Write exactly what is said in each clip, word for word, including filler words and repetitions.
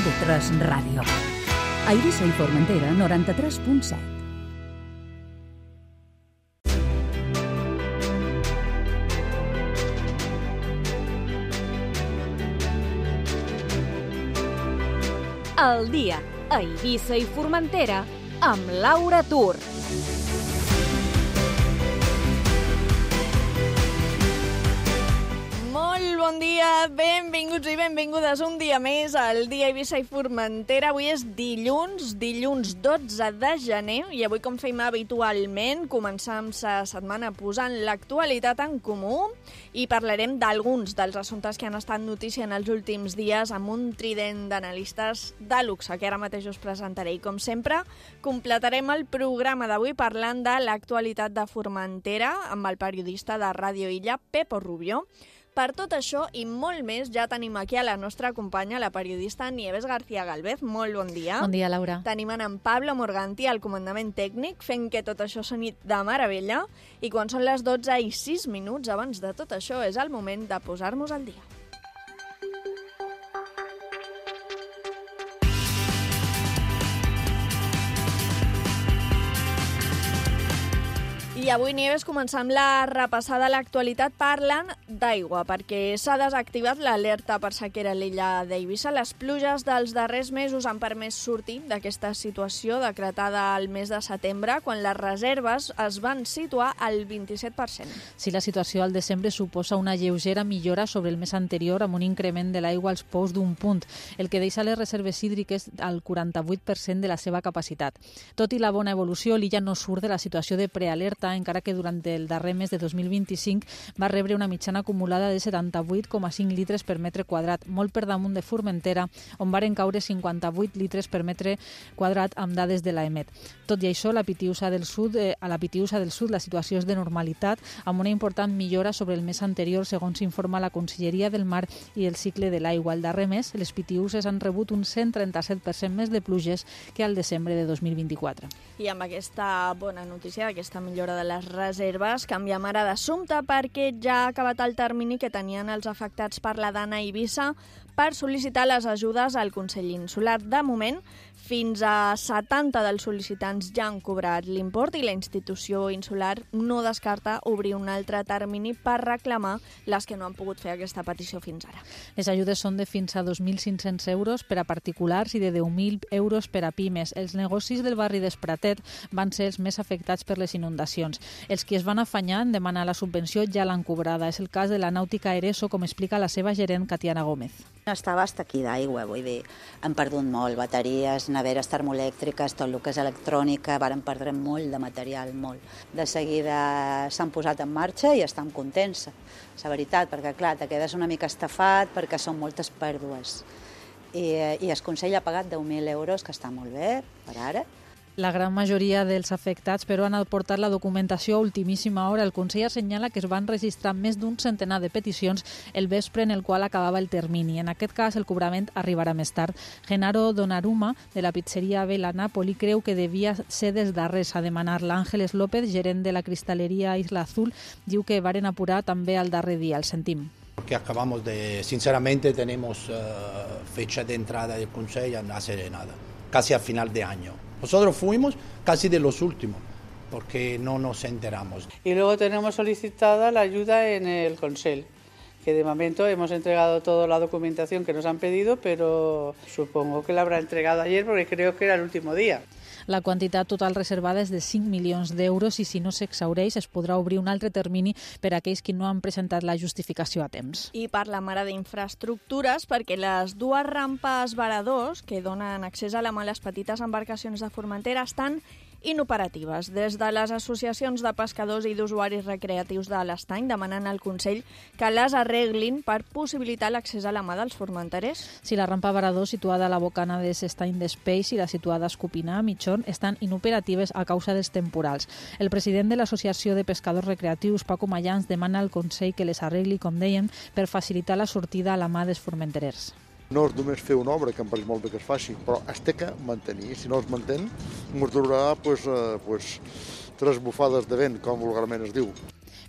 T tres Ràdio. A Eivissa i Formentera, noranta-tres punt set. El dia a Eivissa i Formentera amb Laura Tur. Molt bon dia, benvinguts i benvingudes un dia més al dia Eivissa i Formentera. Avui és dilluns, dilluns dotze de gener, i avui, com fem habitualment, començam la setmana posant l'actualitat en comú i parlarem d'alguns dels assumptes que han estat notícia en els últims dies amb un trident d'analistes de luxe que ara mateix us presentaré. I com sempre, completarem el programa d'avui parlant de l'actualitat de Formentera amb el periodista de Ràdio Illa, Pepo Rubio. Per tot això i molt més, ja tenim aquí a la nostra companya, la periodista Nieves García Galvez. Molt bon dia. Bon dia, Laura. Tenim en Pablo Morganti al comandament tècnic, fent que tot això soni de meravella. I quan són les dotze i sis minuts, abans de tot això, és el moment de posar-nos al dia. I avui, Nieves, començant la repassada a l'actualitat parlant d'aigua, perquè s'ha desactivat l'alerta per sequera a l'illa d'Eivissa. Les pluges dels darrers mesos han permès sortir d'aquesta situació decretada al mes de setembre, quan les reserves es van situar al vint-i-set per cent. Sí, la situació al desembre suposa una lleugera millora sobre el mes anterior, amb un increment de l'aigua als pous d'un punt, el que deixa les reserves hídriques al quaranta-vuit per cent de la seva capacitat. Tot i la bona evolució, l'illa no surt de la situació de prealerta, encara que durant el darrer mes de dos mil vint-i-cinc va rebre una mitjana acumulada de setanta-vuit coma cinc litres per metre quadrat, molt per damunt de Formentera, on varen caure cinquanta-vuit litres per metre quadrat amb dades de l'Emet. Tot i això, la Pitiusa del Sud, eh, a la Pitiusa del Sud la situació és de normalitat, amb una important millora sobre el mes anterior, segons s'informa la Conselleria del Mar i el cicle de l'aigua. El darrer mes, les Pitiuses han rebut un cent trenta-set per cent més de pluges que al desembre de dos mil vint-i-quatre. I amb aquesta bona notícia, aquesta millora de les reserves, canviem ara d'assumpte perquè ja ha acabat el termini que tenien els afectats per la Dana a Eivissa per sol·licitar les ajudes al Consell Insular. De moment, fins a setanta dels sol·licitants ja han cobrat l'import i la institució insular no descarta obrir un altre termini per reclamar les que no han pogut fer aquesta petició fins ara. Les ajudes són de fins a dos mil cinc-cents euros per a particulars i de deu mil euros per a pimes. Els negocis del barri d'Espratet van ser els més afectats per les inundacions. Els que es van afanyar en demanar la subvenció ja l'han cobrada. És el cas de la Nàutica Ereso, com explica la seva gerent, Catiana Gómez. Estava hasta aquí d'aigua, vull dir, hem perdut molt, bateries, neveres termoelèctriques, tot el que és electrònica, varen perdre molt de material, molt. De seguida s'han posat en marxa i estem contents, la veritat, perquè clar, te quedes una mica estafat perquè són moltes pèrdues. I, i el Consell ha pagat deu mil euros, que està molt bé, per ara. La gran majoria dels afectats, però, han aportat la documentació a ultimíssima hora. El Consell assenyala que es van registrar més d'un centenar de peticions el vespre en el qual acabava el termini. En aquest cas, el cobrament arribarà més tard. Genaro Donnarumma, de la pizzeria Vela Napoli, creu que devia ser dels darrers a demanar-la. Ángeles López, gerent de la cristalería Isla Azul, diu que varen apurar també al darrer dia. El sentim. Porque acabamos de, sinceramente, tenemos uh, fecha de entrada del Consejo hace nada, casi a final de año. Nosotros fuimos casi de los últimos, porque no nos enteramos. Y luego tenemos solicitada la ayuda en el Consell, que de momento hemos entregado toda la documentación que nos han pedido, pero supongo que la habrá entregado ayer porque creo que era el último día. La quantitat total reservada és de cinc milions d'euros i si no s'exhaureix es podrà obrir un altre termini per a aquells que no han presentat la justificació a temps. I parlem ara d'infraestructures perquè les dues rampes varadors que donen accés a la mar a les petites embarcacions de Formentera estan inoperatives. Des de les associacions de pescadors i d'usuaris recreatius de l'estany demanen al Consell que les arreglin per possibilitar l'accés a la mà dels formenterers. Si la rampa varador situada a la bocana de l'estany d'Espeix i la situada a Escopinar, a Mitjón, estan inoperatives a causa dels temporals. El president de l'Associació de Pescadors Recreatius, Paco Mayans, demana al Consell que les arregli, com deien, per facilitar la sortida a la mà dels formenterers. No és només fer una obra, que em pareix molt bé que es faci, però es té que mantenir. Si no es mantén, ens durarà pues, eh, pues, tres bufades de vent, com vulgarment es diu.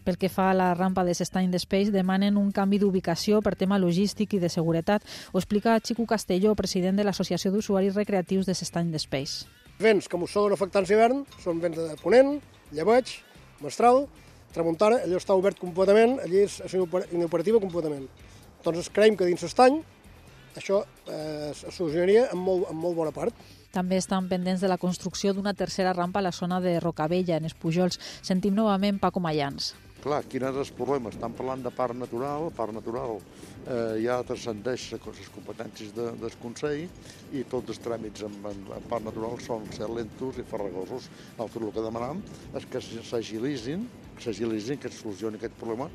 Pel que fa a la rampa de s'Estany d'Espeix, demanen un canvi d'ubicació per tema logístic i de seguretat. Ho explica Xico Castelló, president de l'Associació d'Usuaris Recreatius de s'Estany d'Espeix. Vents que mos són afectants d'hivern són vents de ponent, llebeig, mestral, tramuntana, allò està obert completament, allí és inoperativa completament. Doncs creiem que dins l'estany això eh, es solucionaria en molt, en molt bona part. També estan pendents de la construcció d'una tercera rampa a la zona de Rocabella, en els Pujols. Sentim novament Paco Mayans. Clar, quin és el problema? Estan parlant de parc natural, parc natural eh, ja transcendeix les competències de, del Consell i tots els tràmits en, en, en parc natural són ser lentos i farragosos. Nosaltres el que demanem és que s'agilitzin, que s'agilitzin, que es solucioni aquest problema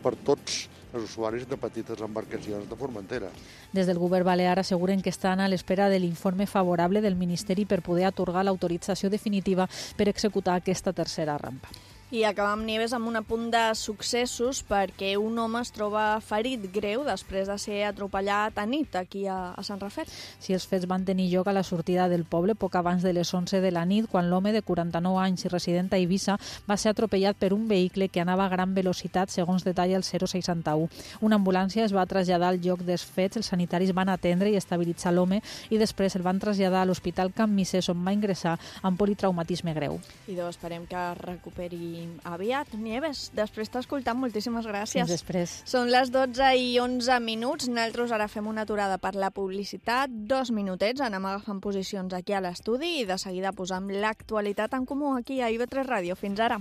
per tots els usuaris de petites embarcacions de Formentera. Des del govern balear asseguren que estan a l'espera de l'informe favorable del Ministeri per poder atorgar l'autorització definitiva per executar aquesta tercera rampa. I acabam, Nieves, amb un apunt de successos perquè un home es troba ferit greu després de ser atropellat a nit aquí a, a Sant Rafel. Si els fets van tenir lloc a la sortida del poble poc abans de les onze de la nit, quan l'home de quaranta-nou anys i resident a Eivissa va ser atropellat per un vehicle que anava a gran velocitat, segons detalla el zero seixanta-u. Una ambulància es va traslladar al lloc dels fets, els sanitaris van atendre i estabilitzar l'home i després el van traslladar a l'Hospital Can Misés, on va ingressar amb politraumatisme greu. I doncs esperem que es recuperi aviat. Nieves, després t'he escoltat, moltíssimes gràcies. Fins després. Són les dotze i onze minuts. Nosaltres ara fem una aturada per la publicitat. Dos minutets, anem agafant posicions aquí a l'estudi i de seguida posam l'actualitat en comú aquí a I V tres Ràdio. Fins ara.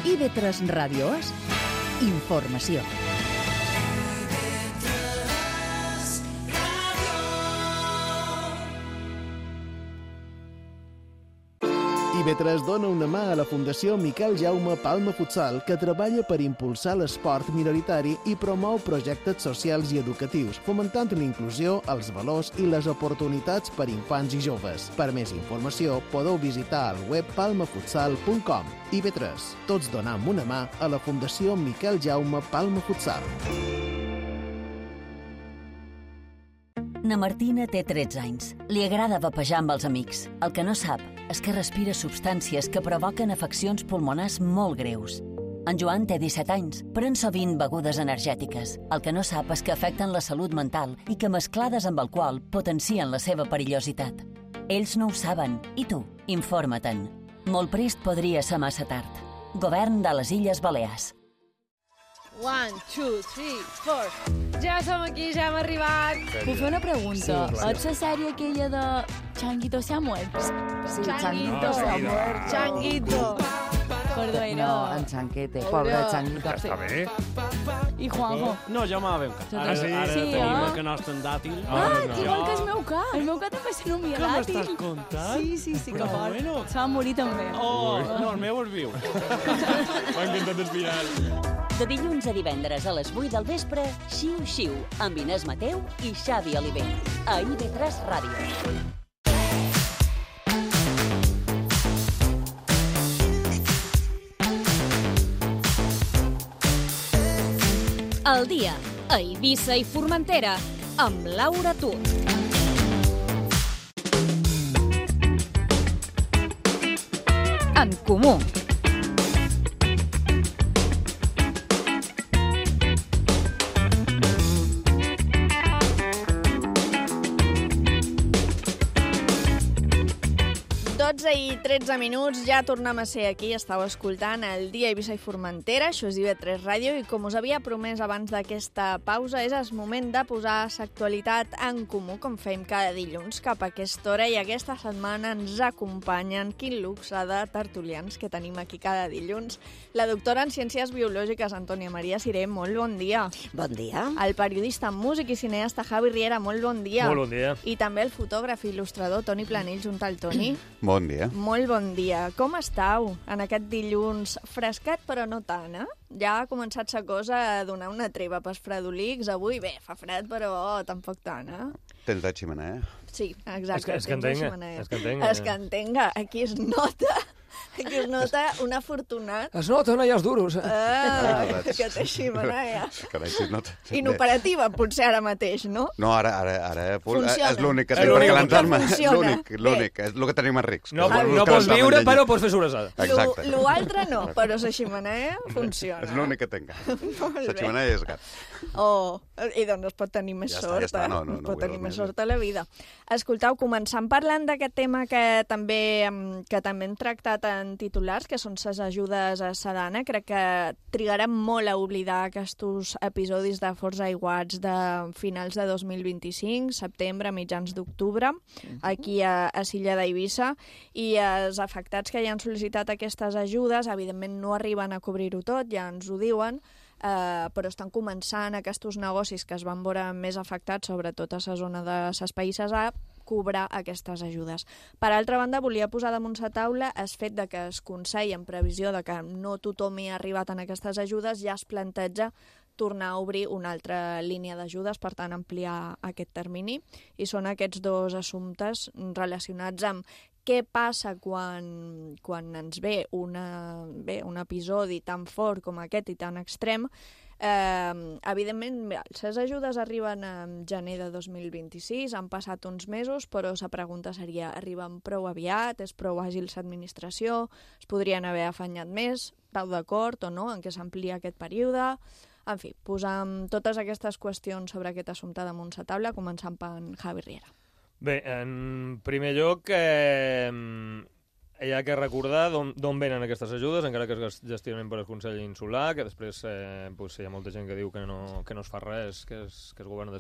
I V tres Ràdio és informació. I V tres dona una mà a la Fundació Miquel Jaume Palma Futsal, que treballa per impulsar l'esport minoritari i promou projectes socials i educatius, fomentant l'inclusió, els valors i les oportunitats per infants i joves. Per més informació, podeu visitar el web palma futsal punt com. I V tres, tots donam una mà a la Fundació Miquel Jaume Palma Futsal. Na Martina té tretze anys. Li agrada vapejar amb els amics. El que no sap és que respira substàncies que provoquen afeccions pulmonars molt greus. En Joan té disset anys. Pren sovint begudes energètiques. El que no sap és que afecten la salut mental i que mesclades amb alcohol potencien la seva perillositat. Ells no ho saben. I tu? Informa-te'n. Molt prest podria ser massa tard. Govern de les Illes Balears. One, two, three, four. Ja som aquí, ja hem arribat. Puc fer una pregunta? Sí, ets la sèrie aquella de Changuito se ha muerto? Sí, Changuito se ha muerto. Changuito. Perdó, no. No, en Chanquete, pobre Changuito. Està bé. I Juanjo? No, jo me la veu cas. Ara, sí? ara Sí, tenim eh? el canast en dàtil. Ah, no. Igual que el meu cas. El meu cas també se nomia Què dàtil. m'estàs contant? Sí, sí, sí, que Però fort. bueno. Se va morir també. Oh, no, el meu és viu. M'ha encantat el final. De dilluns a divendres a les vuit del vespre, Xiu Xiu, amb Inés Mateu i Xavi Oliver. A I V tres Ràdio. El dia a Eivissa i Formentera amb Laura Tur. En comú. dotze i tretze minuts, ja tornem a ser aquí. Estàu escoltant el dia a Eivissa i Formentera, això és I V tres Ràdio, i com us havia promès abans d'aquesta pausa, és el moment de posar l'actualitat en comú, com fem cada dilluns, cap a aquesta hora, i aquesta setmana ens acompanyen, quin luxe de tertulians que tenim aquí cada dilluns. La doctora en Ciències Biològiques, Antònia Maria Siré, molt bon dia. Bon dia. El periodista, músic i cineasta Javi Riera, molt bon dia. Molt bon dia. I també el fotògraf i il·lustrador Toni Planell, junt al Toni. Bon dia. Molt bon dia. Com estàu en aquest dilluns frescat, però no tant, eh? Ja ha començat la cosa a donar una treva pels fredolics. Avui, bé, fa fred, però oh, tampoc tant, eh? Tens la xemenea? Sí, exacte. És que, és que entenga. És que entenga. És que entenga. Aquí es nota que es nota un afortunat. Es nota, no hi ha els duros. Ah, que té xemeneia. Carai, si no... Inoperativa, potser ara mateix, no? No, ara, ara, ara Funciona. és l'únic que És tinc per l'únic que calentar-me. funciona. L'únic, l'únic, és el que tenim a rics. No, no pots viure, però pots fer sobrassada. Exacte. L'altre no, però la xemeneia funciona. És l'únic que tinc. Molt La bé. xemeneia és gat. Oh, i doncs es pot tenir més Ja està, sort, ja està, eh? no, no, es no pot vull tenir dir més més. sort a la vida. Escolteu, començant parlant d'aquest tema que també, em, que també hem tractat en titulars, que són les ajudes a Sedana. Crec que trigarem molt a oblidar aquests episodis de forts aiguats de finals de dos mil vint-i-cinc, setembre, mitjans d'octubre, aquí a, a Silla d'Eivissa, i els afectats que ja han sol·licitat aquestes ajudes, evidentment no arriben a cobrir-ho tot, ja ens ho diuen, Uh, però estan començant aquests negocis que es van veure més afectats, sobretot a la zona de les Païses, a cobrar aquestes ajudes. Per altra banda, volia posar damunt la taula el fet de que es Consell, en previsió de que no tothom hi ha arribat en aquestes ajudes, ja es planteja tornar a obrir una altra línia d'ajudes, per tant, ampliar aquest termini. I són aquests dos assumptes relacionats amb què passa quan, quan ens ve, una, bé, un episodi tan fort com aquest i tan extrem. Eh, evidentment, les ajudes arriben en gener de dos mil vint-i-sis, han passat uns mesos, però la pregunta seria, arriben prou aviat, és prou àgil l'administració, es podrien haver afanyat més, esteu d'acord o no, en què s'amplia aquest període? En fi, posam totes aquestes qüestions sobre aquest assumpte damunt la taula, començant per en Javi Riera. Bé, en primer lloc, eh, hi ha que recordar d'on venen aquestes ajudes, encara que es gestionen per el Consell Insular, que després eh, pues, hi ha molta gent que diu que no, que no es fa res, que és, que és govern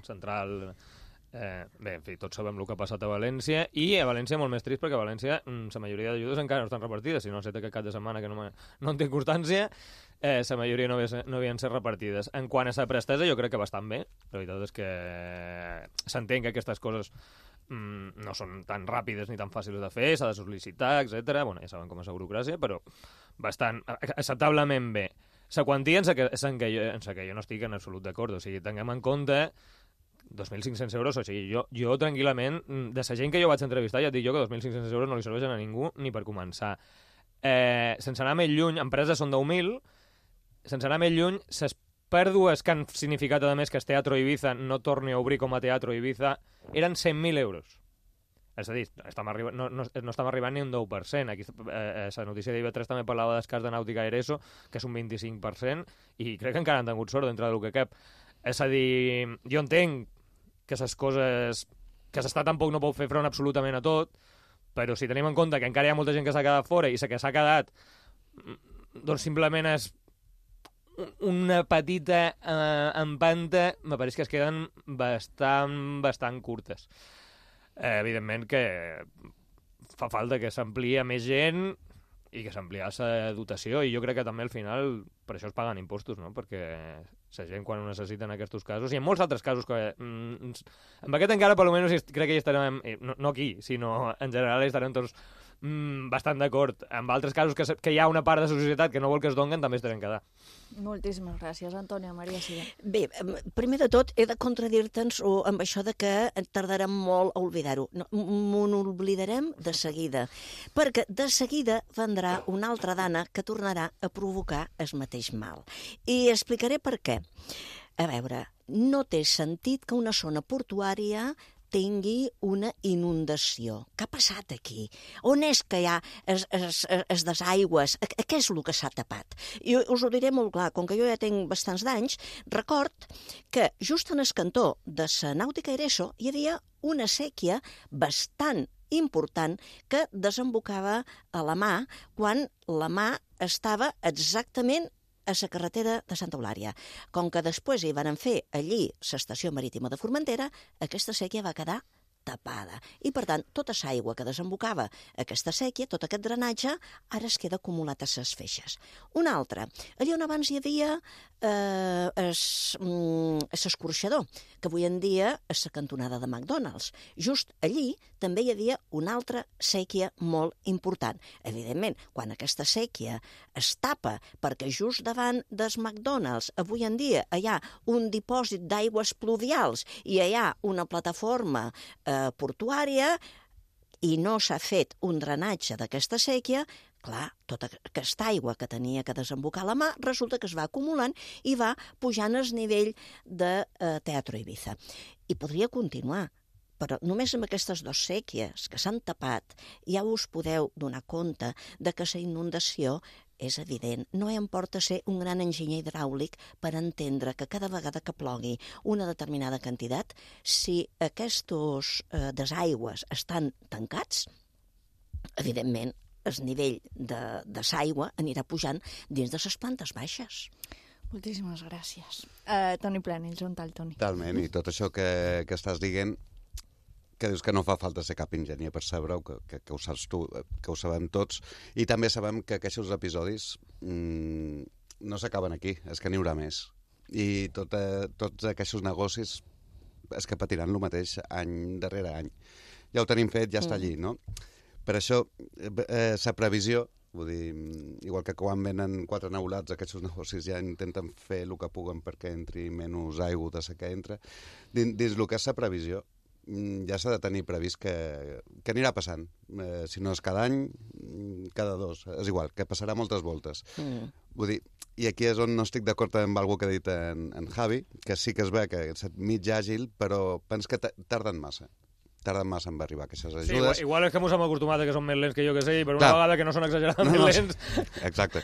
central. Eh, bé, en fi, tots sabem el que ha passat a València, i a València molt més trist, perquè a València la majoria d'ajudes encara no estan repartides, si no ha estat aquest cap de setmana que no, no en té constància, eh, la majoria no, havia, no havien ser repartides. En quant a la prestesa, jo crec que bastant bé. La veritat és que s'entén que aquestes coses mm, no són tan ràpides ni tan fàcils de fer, s'ha de sol·licitar, etcètera. Bueno, ja saben com és la burocràcia, però bastant acceptablement bé. La quantia en la que, que, jo, en la que jo no estic en absolut d'acord, o sigui, tinguem en compte dos mil cinc-cents euros, o sigui, jo, jo tranquil·lament, de la gent que jo vaig entrevistar, ja et dic jo que dos mil cinc-cents euros no li serveixen a ningú ni per començar. Eh, sense anar més lluny, empreses són deu mil, sense anar més lluny, les pèrdues que han significat, a més, que el Teatro Ibiza no torni a obrir com a Teatro Ibiza, eren cent mil euros. És a dir, estem arriba, no, no, no estem arribant ni un deu per cent. Aquí, eh, la notícia d'I V tres també parlava del cas de Nàutica Ereso, que és un vint-i-cinc per cent, i crec que encara han tingut sort dintre del que cap. És a dir, jo entenc que les coses... que l'Estat tampoc no pot fer front absolutament a tot, però si tenim en compte que encara hi ha molta gent que s'ha quedat fora i la que s'ha quedat doncs simplement és una petita eh, empanta, me pareix que es queden bastant, bastant curtes. Eh, evidentment que fa falta que s'amplia més gent i que s'amplia la dotació, i jo crec que també al final per això es paguen impostos, no? Perquè la gent quan ho necessita en aquests casos, i en molts altres casos que mm, amb aquest encara per almenys crec que hi estarem, no, no aquí, sinó en general hi estarem tots mm, bastant d'acord. En altres casos que, que hi ha una part de la societat que no vol que es donguen, també estarem quedar. Moltíssimes gràcies, Antònia. Maria Sida. Bé, primer de tot he de contradir-te'ns amb això de que tardarem molt a oblidar-ho. No, m'ho oblidarem de seguida, perquè de seguida vendrà una altra dana que tornarà a provocar el mateix mal. I explicaré per què. A veure, no té sentit que una zona portuària tingui una inundació. Què ha passat aquí? On és que hi ha es, es, es desaigües? Què és el que s'ha tapat? I us ho diré molt clar, com que jo ja tinc bastants d'anys, record que just en el cantó de la Nàutica Ereso hi havia una sèquia bastant important que desembocava a la mà quan la mà estava exactament a la carretera de Santa Eulària. Com que després hi van fer allí l'estació marítima de Formentera, aquesta sèquia va quedar tapada. I, per tant, tota l'aigua que desembocava aquesta sèquia, tot aquest drenatge, ara es queda acumulat a les feixes. Una altra, allà on abans hi havia eh, l'escorxador, que avui en dia és la cantonada de McDonald's. Just allí també hi havia una altra sèquia molt important. Evidentment, quan aquesta sèquia es tapa perquè just davant dels McDonald's avui en dia hi ha un dipòsit d'aigües pluvials i hi ha una plataforma eh, portuària, i no s'ha fet un drenatge d'aquesta sèquia, clar, tota aquesta aigua que tenia que desembocar a la mar resulta que es va acumulant i va pujant el nivell de eh, Teatro Ibiza. I podria continuar, però només amb aquestes dues sèquies que s'han tapat ja us podeu donar compte de que la inundació és evident. No em porta a ser un gran enginyer hidràulic per entendre que cada vegada que plogui una determinada quantitat, si aquests eh, desaigües estan tancats, evidentment el nivell de, de l'aigua anirà pujant dins de les plantes baixes. Moltíssimes gràcies. Uh, Toni Planells, on tal, Toni? Totalment, i tot això que, que estàs dient, que dius que no fa falta ser cap enginyer per saber-ho, que, que, que ho saps tu, que ho sabem tots, i també sabem que aquests episodis mmm, no s'acaben aquí, és que n'hi haurà més. I tot, eh, tots aquests negocis és que patiran el mateix any darrere any. Ja ho tenim fet, ja està allí, no? Per això, eh, la previsió, vull dir, igual que quan venen quatre neulats, aquests negocis ja intenten fer el que puguen perquè entri menys aigua de la que entra. Dins, dins el que és la previsió, ja s'ha de tenir previst que, que anirà passant. Eh, si no és cada any, cada dos. És igual, que passarà moltes voltes. Mm. Vull dir, i aquí és on no estic d'acord amb alguna que ha dit en, en Javi, que sí que es ve que és mig àgil, però pens que tarden massa. Tarden massa en arribar aquestes ajudes. Sí, igual, igual és que mos hem acostumat a que són més lents que jo que sé, i per una Clar. vegada que no són exageradament no, no, lents... Exacte.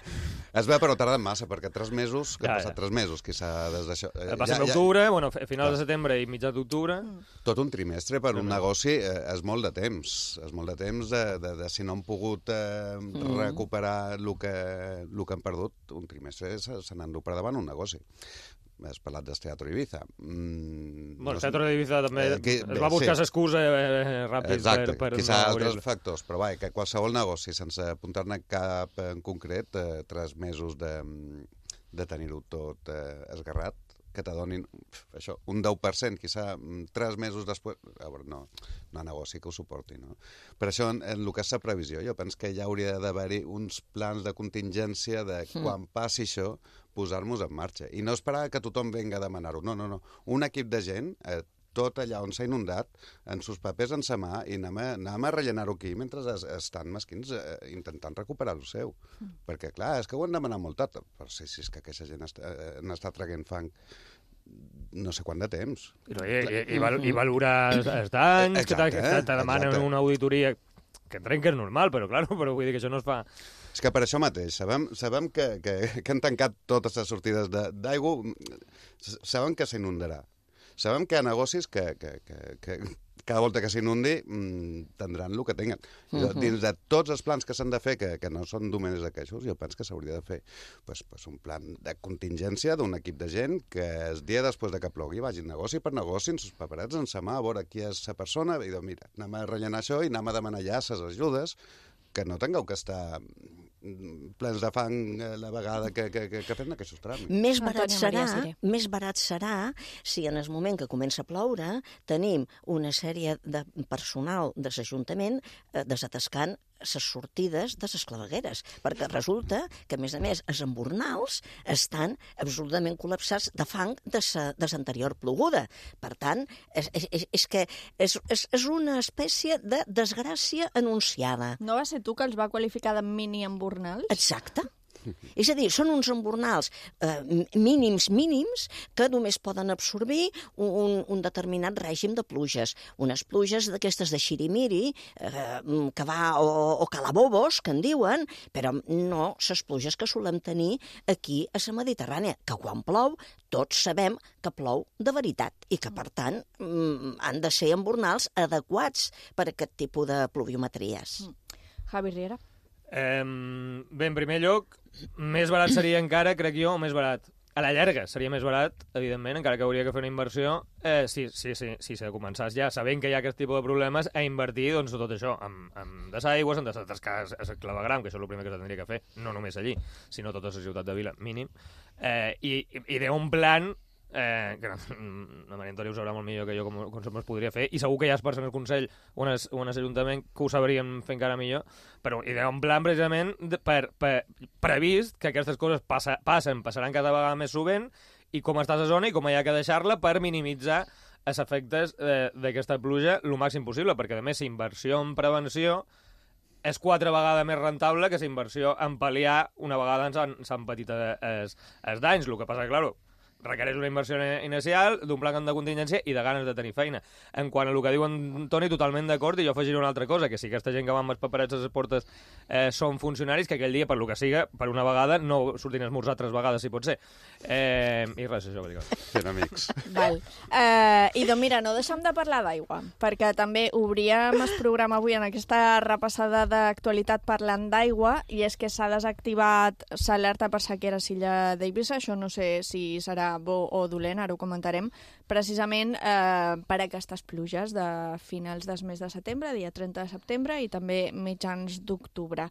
Es ve, però tarden massa, perquè tres mesos, que Ja, han passat ja. tres mesos, quizà des d'això... Eh, Passem ja, l'octubre, ja... bueno, a finals de setembre i mitjà d'octubre... Tot un trimestre per un negoci eh, és molt de temps. És molt de temps de, de, de si no han pogut eh, Mm. recuperar el que, el que han perdut, un trimestre se, se n'han per davant un negoci. Has parlat del Teatro Ibiza. Mm, Bueno, el no sé- Teatro d'Ibiza també Eh, que- es bé, va buscar sí. l'excusa eh, ràpid Exacte, per, per quizà no altres obrir-lo. factors, però va, que qualsevol negoci, sense apuntar-ne cap en concret, eh, tres mesos de, de tenir-ho tot eh, esgarrat, que t'adonin pf, això, un deu per cent, quizà mm, tres mesos després... A veure, no, no hi ha negoci que ho suporti, no? Per això, en, en el que és la previsió, jo penso que ja hauria d'haver-hi uns plans de contingència de Mm. quan passi això, posar-nos en marxa. I no esperar que tothom venga a demanar-ho. No, no, no. Un equip de gent, eh, tot allà on s'ha inundat, en sus papers en sa mà, i anem a, anem a rellenar-ho aquí mentre es, estan mesquins eh, intentant recuperar el seu. Mm. Perquè, clar, és que ho han demanat molt tard. Però sí, sí, és que aquesta gent està, eh, n'està traient fang no sé quant de temps. I, i, i, val, i valorar els danys, que te, que te, te demanen exacte. una auditoria, que entenc que és normal, però, clar, però vull dir que això no es fa... És que per això mateix, sabem, sabem que, que, que han tancat totes les sortides de- d'aigua, sabem que s'inundarà. Sabem que hi ha negocis que, que, que, que cada volta que s'inundi mmm, tindran el que tinguen. Uh Mhm. -huh. Dins de tots els plans que s'han de fer, que, que no són només d'aquests, jo penso que s'hauria de fer pues, pues un plan de contingència d'un equip de gent que el dia després de que plogui vagin negoci per negoci, en sus paperets, en sa mà, a veure qui és la persona, i dir, mira, anem a rellenar això i anem a demanar ja les ajudes, que no tingueu que estar plens de fang eh, la vegada que, que, que, que fem aquests tràmits. Més barat, Antònia serà, Maria Siré. més barat serà si en el moment que comença a ploure tenim una sèrie de personal de l'Ajuntament eh, desatascant les sortides de les clavegueres, perquè resulta que, a més a més, els embornals estan absolutament col·lapsats de fang de l'anterior ploguda. Per tant, és, és, és que és, és, és una espècie de desgràcia anunciada. No va ser tu que els va qualificar de mini-embornals? Exacte. És a dir, són uns embornals eh, mínims, mínims, que només poden absorbir un, un determinat règim de pluges. Unes pluges d'aquestes de xirimiri, eh, que va, o, o calabobos, que en diuen, però no les pluges que solem tenir aquí a la Mediterrània, que quan plou tots sabem que plou de veritat i que, per tant, mm, han de ser embornals adequats per a aquest tipus de pluviometries. Javi Riera. Eh, bé, en primer lloc, més barat seria encara, crec jo, o més barat. A la llarga seria més barat, evidentment, encara que hauria que fer una inversió, eh, sí, sí, sí, sí, si començàs ja, sabent que hi ha aquest tipus de problemes, a invertir doncs, tot això, amb, amb desaigües, en desatascar el clavegram, que això és el primer que s'hauria que fer, no només allí, sinó a tota la ciutat de Vila, mínim, eh, i, i d'un plan eh, que la Maria Antònia ho sabrà molt millor que jo com, com es podria fer, i segur que hi ha persones al Consell o en l'Ajuntament que ho sabrien fer encara millor, però hi ha un plan precisament de, per, per, previst que aquestes coses passa, passen, passaran cada vegada més sovint, i com està la zona i com hi ha que deixar-la per minimitzar els efectes eh, d'aquesta pluja el màxim possible, perquè, a més, la inversió en prevenció és quatre vegades més rentable que la inversió en pal·liar una vegada s'han patit els, els danys. El que passa que, clar, requereix una inversió inicial, d'un pla de contingència i de ganes de tenir feina. En quant a el que diu en Toni, totalment d'acord, i jo afegiré una altra cosa, que si aquesta gent que va amb els paperets a les portes eh, són funcionaris, que aquell dia, per lo que siga, per una vegada, no surtin a esmorzar tres vegades, si pot ser. Eh, I res, això, que dic. Fent amics. Val. Eh, I doncs mira, no deixem de parlar d'aigua, perquè també obríem el programa avui en aquesta repassada d'actualitat parlant d'aigua, i és que s'ha desactivat l'alerta per sequera a l'illa d'Eivissa. Això no sé si serà bo o dolent, ara ho comentarem, precisament eh, per aquestes pluges de finals del mes de setembre, dia trenta de setembre, i també mitjans d'octubre.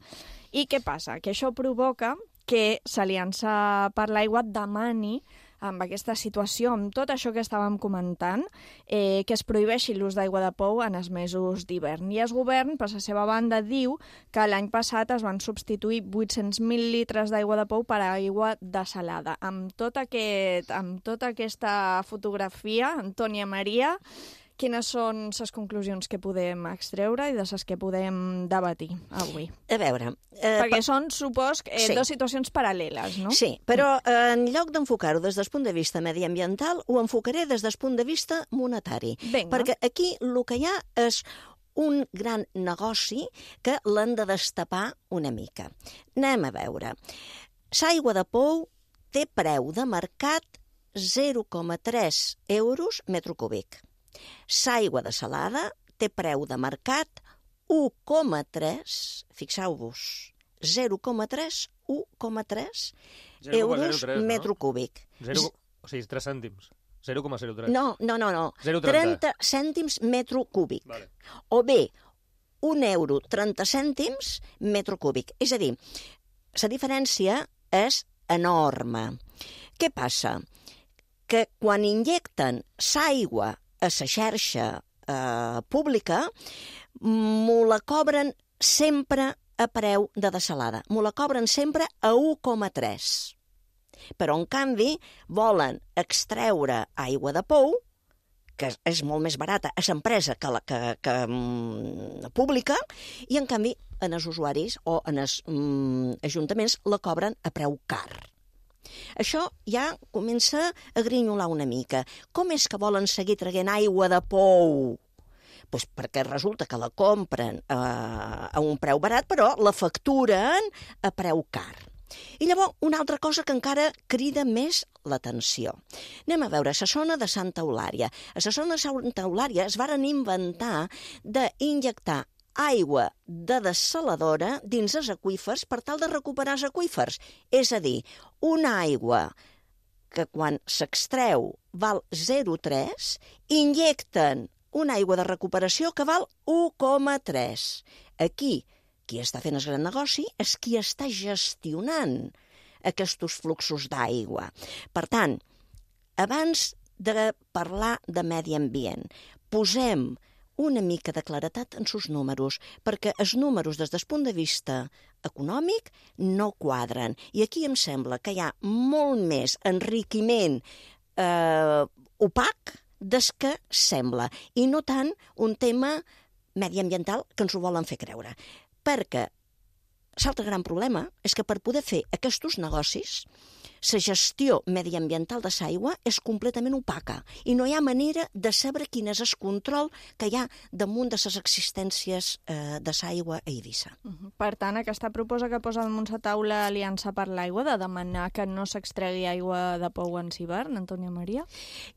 I què passa? Que això provoca que l'Aliança per l'Aigua demani, amb aquesta situació, amb tot això que estàvem comentant, eh, que es prohibeixi l'ús d'aigua de pou en els mesos d'hivern. I el govern, per la seva banda, diu que l'any passat es van substituir vuit-cents mil litres d'aigua de pou per aigua desalada. Amb, tot aquest, amb tota aquesta fotografia, Antònia Maria, quines són les conclusions que podem extreure i de les que podem debatir avui? A veure... Eh, Perquè per... són, supos, eh, sí. dues situacions paral·leles, no? Sí, però eh, en lloc d'enfocar-ho des del punt de vista mediambiental, ho enfocaré des del punt de vista monetari. Vinga. Perquè aquí el que hi ha és un gran negoci que l'han de destapar una mica. Anem a veure. L'aigua de pou té preu de mercat zero coma tres euros metre cúbic. L'aigua desalada té preu de mercat u coma tres, fixeu-vos, zero coma tres, u coma tres euros metre cúbic. zero, o sigui, tres cèntims. zero coma zero tres. No, no, no, no. zero coma trenta. trenta cèntims metre cúbic. Vale. O bé, un euro trenta cèntims metre cúbic. És a dir, la diferència és enorme. Què passa? Que quan injecten l'aigua a la xarxa eh, pública, m'ho la cobren sempre a preu de desalada. M'ho la cobren sempre a u coma tres. Però, en canvi, volen extreure aigua de pou, que és molt més barata a l'empresa que la que, que, mm, pública, i, en canvi, en els usuaris o en els mm, ajuntaments la cobren a preu car. Això ja comença a grinyolar una mica. Com és que volen seguir traient aigua de pou? Pues perquè resulta que la compren eh, a un preu barat, però la facturen a preu car. I llavors, una altra cosa que encara crida més l'atenció. Anem a veure, a la zona de Santa Eulària. A la zona de Santa Eulària es varen inventar d'injectar aigua de dessaladora dins els aqüífers per tal de recuperar els aqüífers. És a dir, una aigua que quan s'extreu val zero coma tres, injecten una aigua de recuperació que val u coma tres. Aquí, qui està fent el gran negoci és qui està gestionant aquests fluxos d'aigua. Per tant, abans de parlar de medi ambient, posem una mica de claretat en sus números, perquè els números des del punt de vista econòmic no quadren. I aquí em sembla que hi ha molt més enriquiment eh, opac des que sembla, i no tant un tema mediambiental que ens ho volen fer creure. Perquè l'altre gran problema és que per poder fer aquests negocis, la gestió mediambiental de l'aigua és completament opaca i no hi ha manera de saber quin és el control que hi ha damunt de les existències eh, de l'aigua a Eivissa. Uh -huh. Per tant, aquesta proposta que posa damunt la taula Aliança per l'Aigua de demanar que no s'extregui aigua de pou en hivern, Antònia Maria?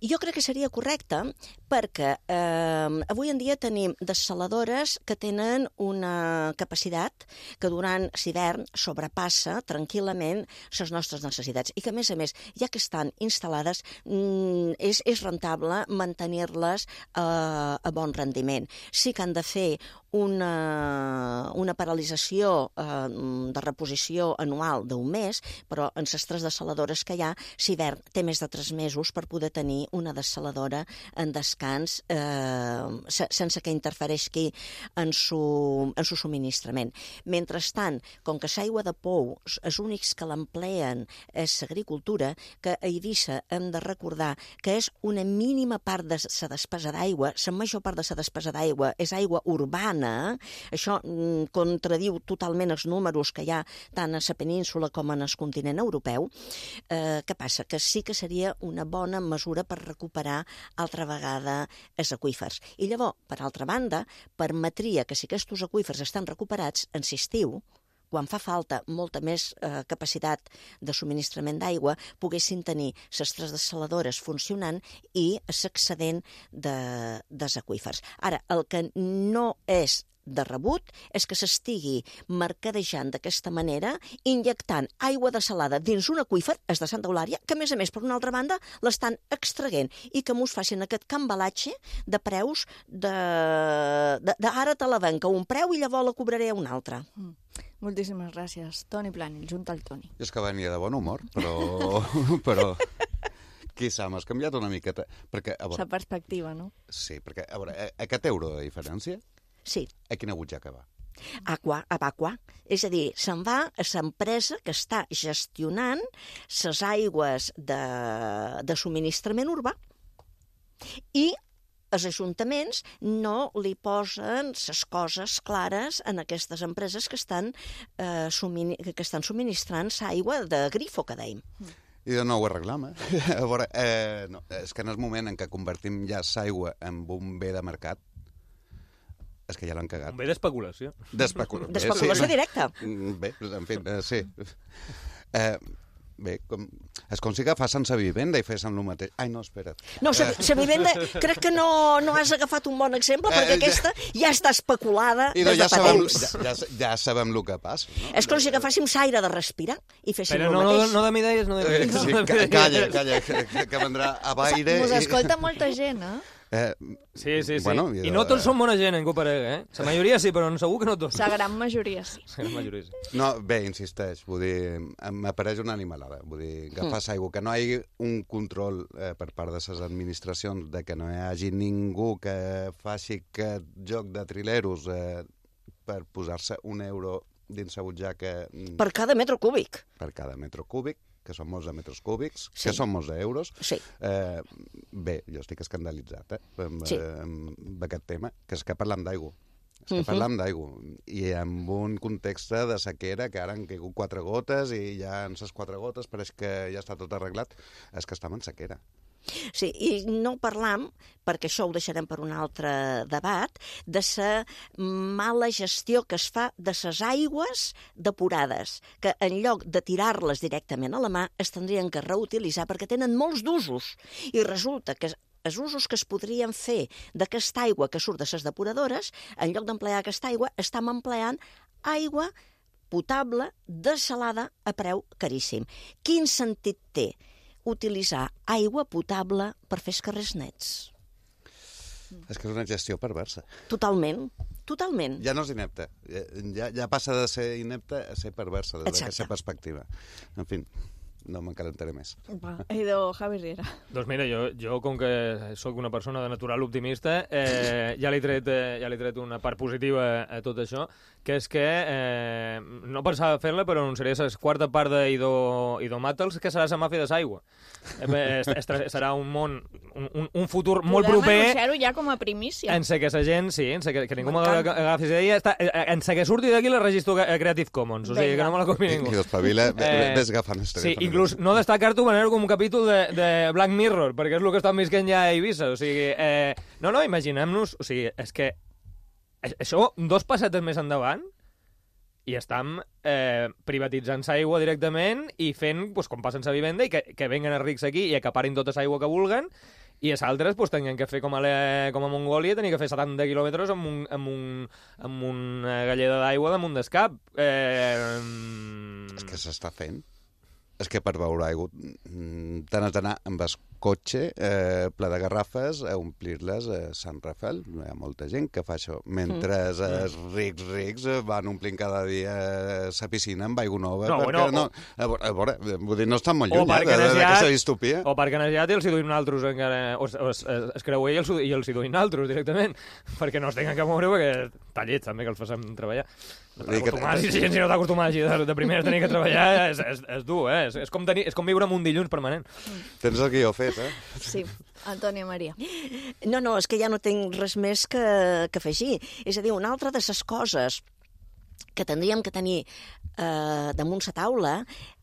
Jo crec que seria correcte perquè eh, avui en dia tenim dessaladores que tenen una capacitat que durant l'hivern sobrepassa tranquil·lament les nostres necessitats i que, a més a més, ja que estan instal·lades, mm, és, és rentable mantenir-les eh, a bon rendiment. Sí que han de fer una, una paralització eh, de reposició anual d'un mes, però en les tres dessaladores que hi ha, l'hivern té més de tres mesos per poder tenir una dessaladora en descans eh, sense que interfereixi en su, en su subministrament. Mentrestant, com que l'aigua de pou, els únics que l'empleen és l'agricultura, que a Eivissa hem de recordar que és una mínima part de la despesa d'aigua, la major part de la despesa d'aigua és aigua urbana, això mm, contradiu totalment els números que hi ha tant a la península com en el continent europeu. Eh, què passa? Que sí que seria una bona mesura per recuperar altra vegada els aqüífers. I llavors, per altra banda, permetria que si aquests aqüífers estan recuperats, en l'estiu, quan fa falta molta més eh, capacitat de subministrament d'aigua, poguessin tenir les tres dessaladores funcionant i l'excedent de, dels aqüífers. Ara, el que no és de rebut és que s'estigui mercadejant d'aquesta manera, injectant aigua desalada dins un aqüífer, és de Santa Eulària, que a més a més, per una altra banda, l'estan extraient i que mos facin aquest cambalatge de preus de, de, de ara te la venc a un preu i llavors la cobraré a un altre. Mm. Moltíssimes gràcies. Toni Planell, junta al Toni. Jo és que venia de bon humor, però... però... Qui sap, m'has canviat una miqueta. Perquè, a veure... La perspectiva, no? Sí, perquè, a veure, aquest euro de diferència... Sí. A quina butxaca va? Aqua, a Aqua. És a dir, se'n va a l'empresa que està gestionant les aigües de, de subministrament urbà i els ajuntaments no li posen les coses clares en aquestes empreses que estan, eh, submini que estan subministrant l'aigua de grifo, que dèiem. I de nou ho reclama. A veure, eh, no, és que en el moment en què convertim ja l'aigua en un bé de mercat, és que ja l'han cagat. Un bé d'especulació. D'especulació. D'especulació sí. directa. Bé, en fi, eh, sí. Eh, bé, com... és com si agafassin la vivenda i fessin el mateix. Ai, no, espera't. No, la vivenda crec que no, no has agafat un bon exemple, perquè Eh, ja- aquesta ja està especulada I des ja de fa sabem, temps. ja, ja, ja sabem el que passa. No? És com si agafàssim l'aire de respirar i féssim Però el no, no, mateix. no de idees, no de Eh, idees. sí, ca- calla, calla, que, que vendrà a baire... Mos i- escolta molta gent, eh? Eh, Sí, sí, sí. Bueno, I i no de- tots són bona gent, en Coparega, eh? La majoria sí, però segur que no tots. La gran majoria sí. La gran majoria sí. No, bé, insisteix, vull dir, m'apareix una animalada, vull dir, agafar Mm. aigua, que no hi hagi un control eh, per part de les administracions, de que no hi hagi ningú que faci aquest joc de trileros eh, per posar-se un euro dins la butxaca mm, Per cada metro cúbic. per cada metro cúbic, que són molts de metres cúbics, Sí. que són molts d'euros. Sí. Eh, bé, jo estic escandalitzat eh, amb, Sí. eh, amb aquest tema, que és que parlam d'aigua. És que Mhm. parlam d'aigua. I amb un context de sequera, que ara han caigut quatre gotes i ja en les quatre gotes pareix que ja està tot arreglat, és que estem en sequera. Sí, i no parlam, perquè això ho deixarem per un altre debat, de la mala gestió que es fa de les aigües depurades, que en lloc de tirar-les directament a la mà es tindrien que reutilitzar perquè tenen molts d'usos. I resulta que els usos que es podrien fer d'aquesta aigua que surt de les depuradores, en lloc d'emplear aquesta aigua, estem empleant aigua potable, desalada, a preu caríssim. Quin sentit té utilitzar aigua potable per fer els carrers nets? És que és una gestió perversa. Totalment, totalment. Ja no és inepta. Ja, ja passa de ser inepta a ser perversa des Exacte. d'aquesta perspectiva. En fi, no m'encalentaré més. Va, idò, Javi Riera. Doncs mira, jo, jo com que sóc una persona de natural optimista, eh, ja li he tret, eh, ja li he tret una part positiva a tot això, que és que eh, no pensava fer-la, però anunciaré la quarta part d'Idomàtals, que serà la màfia de l'aigua. Eh, es- es- serà un món, un, un, un futur molt Podem proper anunciar-ho ja com a primícia. en sé que la gent, sí, en sé que, que ningú M'encanta. m'agafi idea, està, eh, en sé que surti d'aquí la registro a Creative Commons, o sigui, Vinga. que no me la copi ningú. Que espavila, eh, ves agafant el Sí, telèfon. inclús no destacar-t'ho veure com un capítol de, de Black Mirror, perquè és el que estan visquent ja a Eivissa, o sigui, eh, no, no, imaginem-nos, o sigui, és que a- això, dos passetes més endavant, i estem eh, privatitzant l'aigua directament i fent, pues, com passa en la vivenda, i que, que venguen els rics aquí i acaparin tota l'aigua que vulguen, i els altres pues, tenien que fer com a, la, com a Mongòlia, tenien que fer setanta quilòmetres amb, un, amb, un, amb una galleda d'aigua damunt del cap. Eh, És que s'està fent. És que per beure aigua mm, te n'has d'anar amb el cotxe eh, ple de garrafes a omplir-les a Sant Rafael. Hi ha molta gent que fa això. Mentre Mm. els rics rics eh, van omplint cada dia la piscina amb aigua nova. No, perquè bueno, no, a veure, a veure, vull dir, no estan molt O lluny eh, perquè de- n'has d'aquesta ja- distopia. O perquè n'has i els hi duim altres encara... O, o es, es, es creu ell i els, i els hi duim altres directament, perquè no es tinguin que moure, perquè està llet també que els facem treballar. Acostumar, si, si no t'acostumar així de, de primer tenir que treballar és, és, és dur, eh? És, és, com tenir, és com viure amb un dilluns permanent. Tens el guió fet, eh? Sí, Antònia Maria. No, no, és que ja no tinc res més que, que afegir. És a dir, una altra de les coses que tindríem que tenir eh, damunt la taula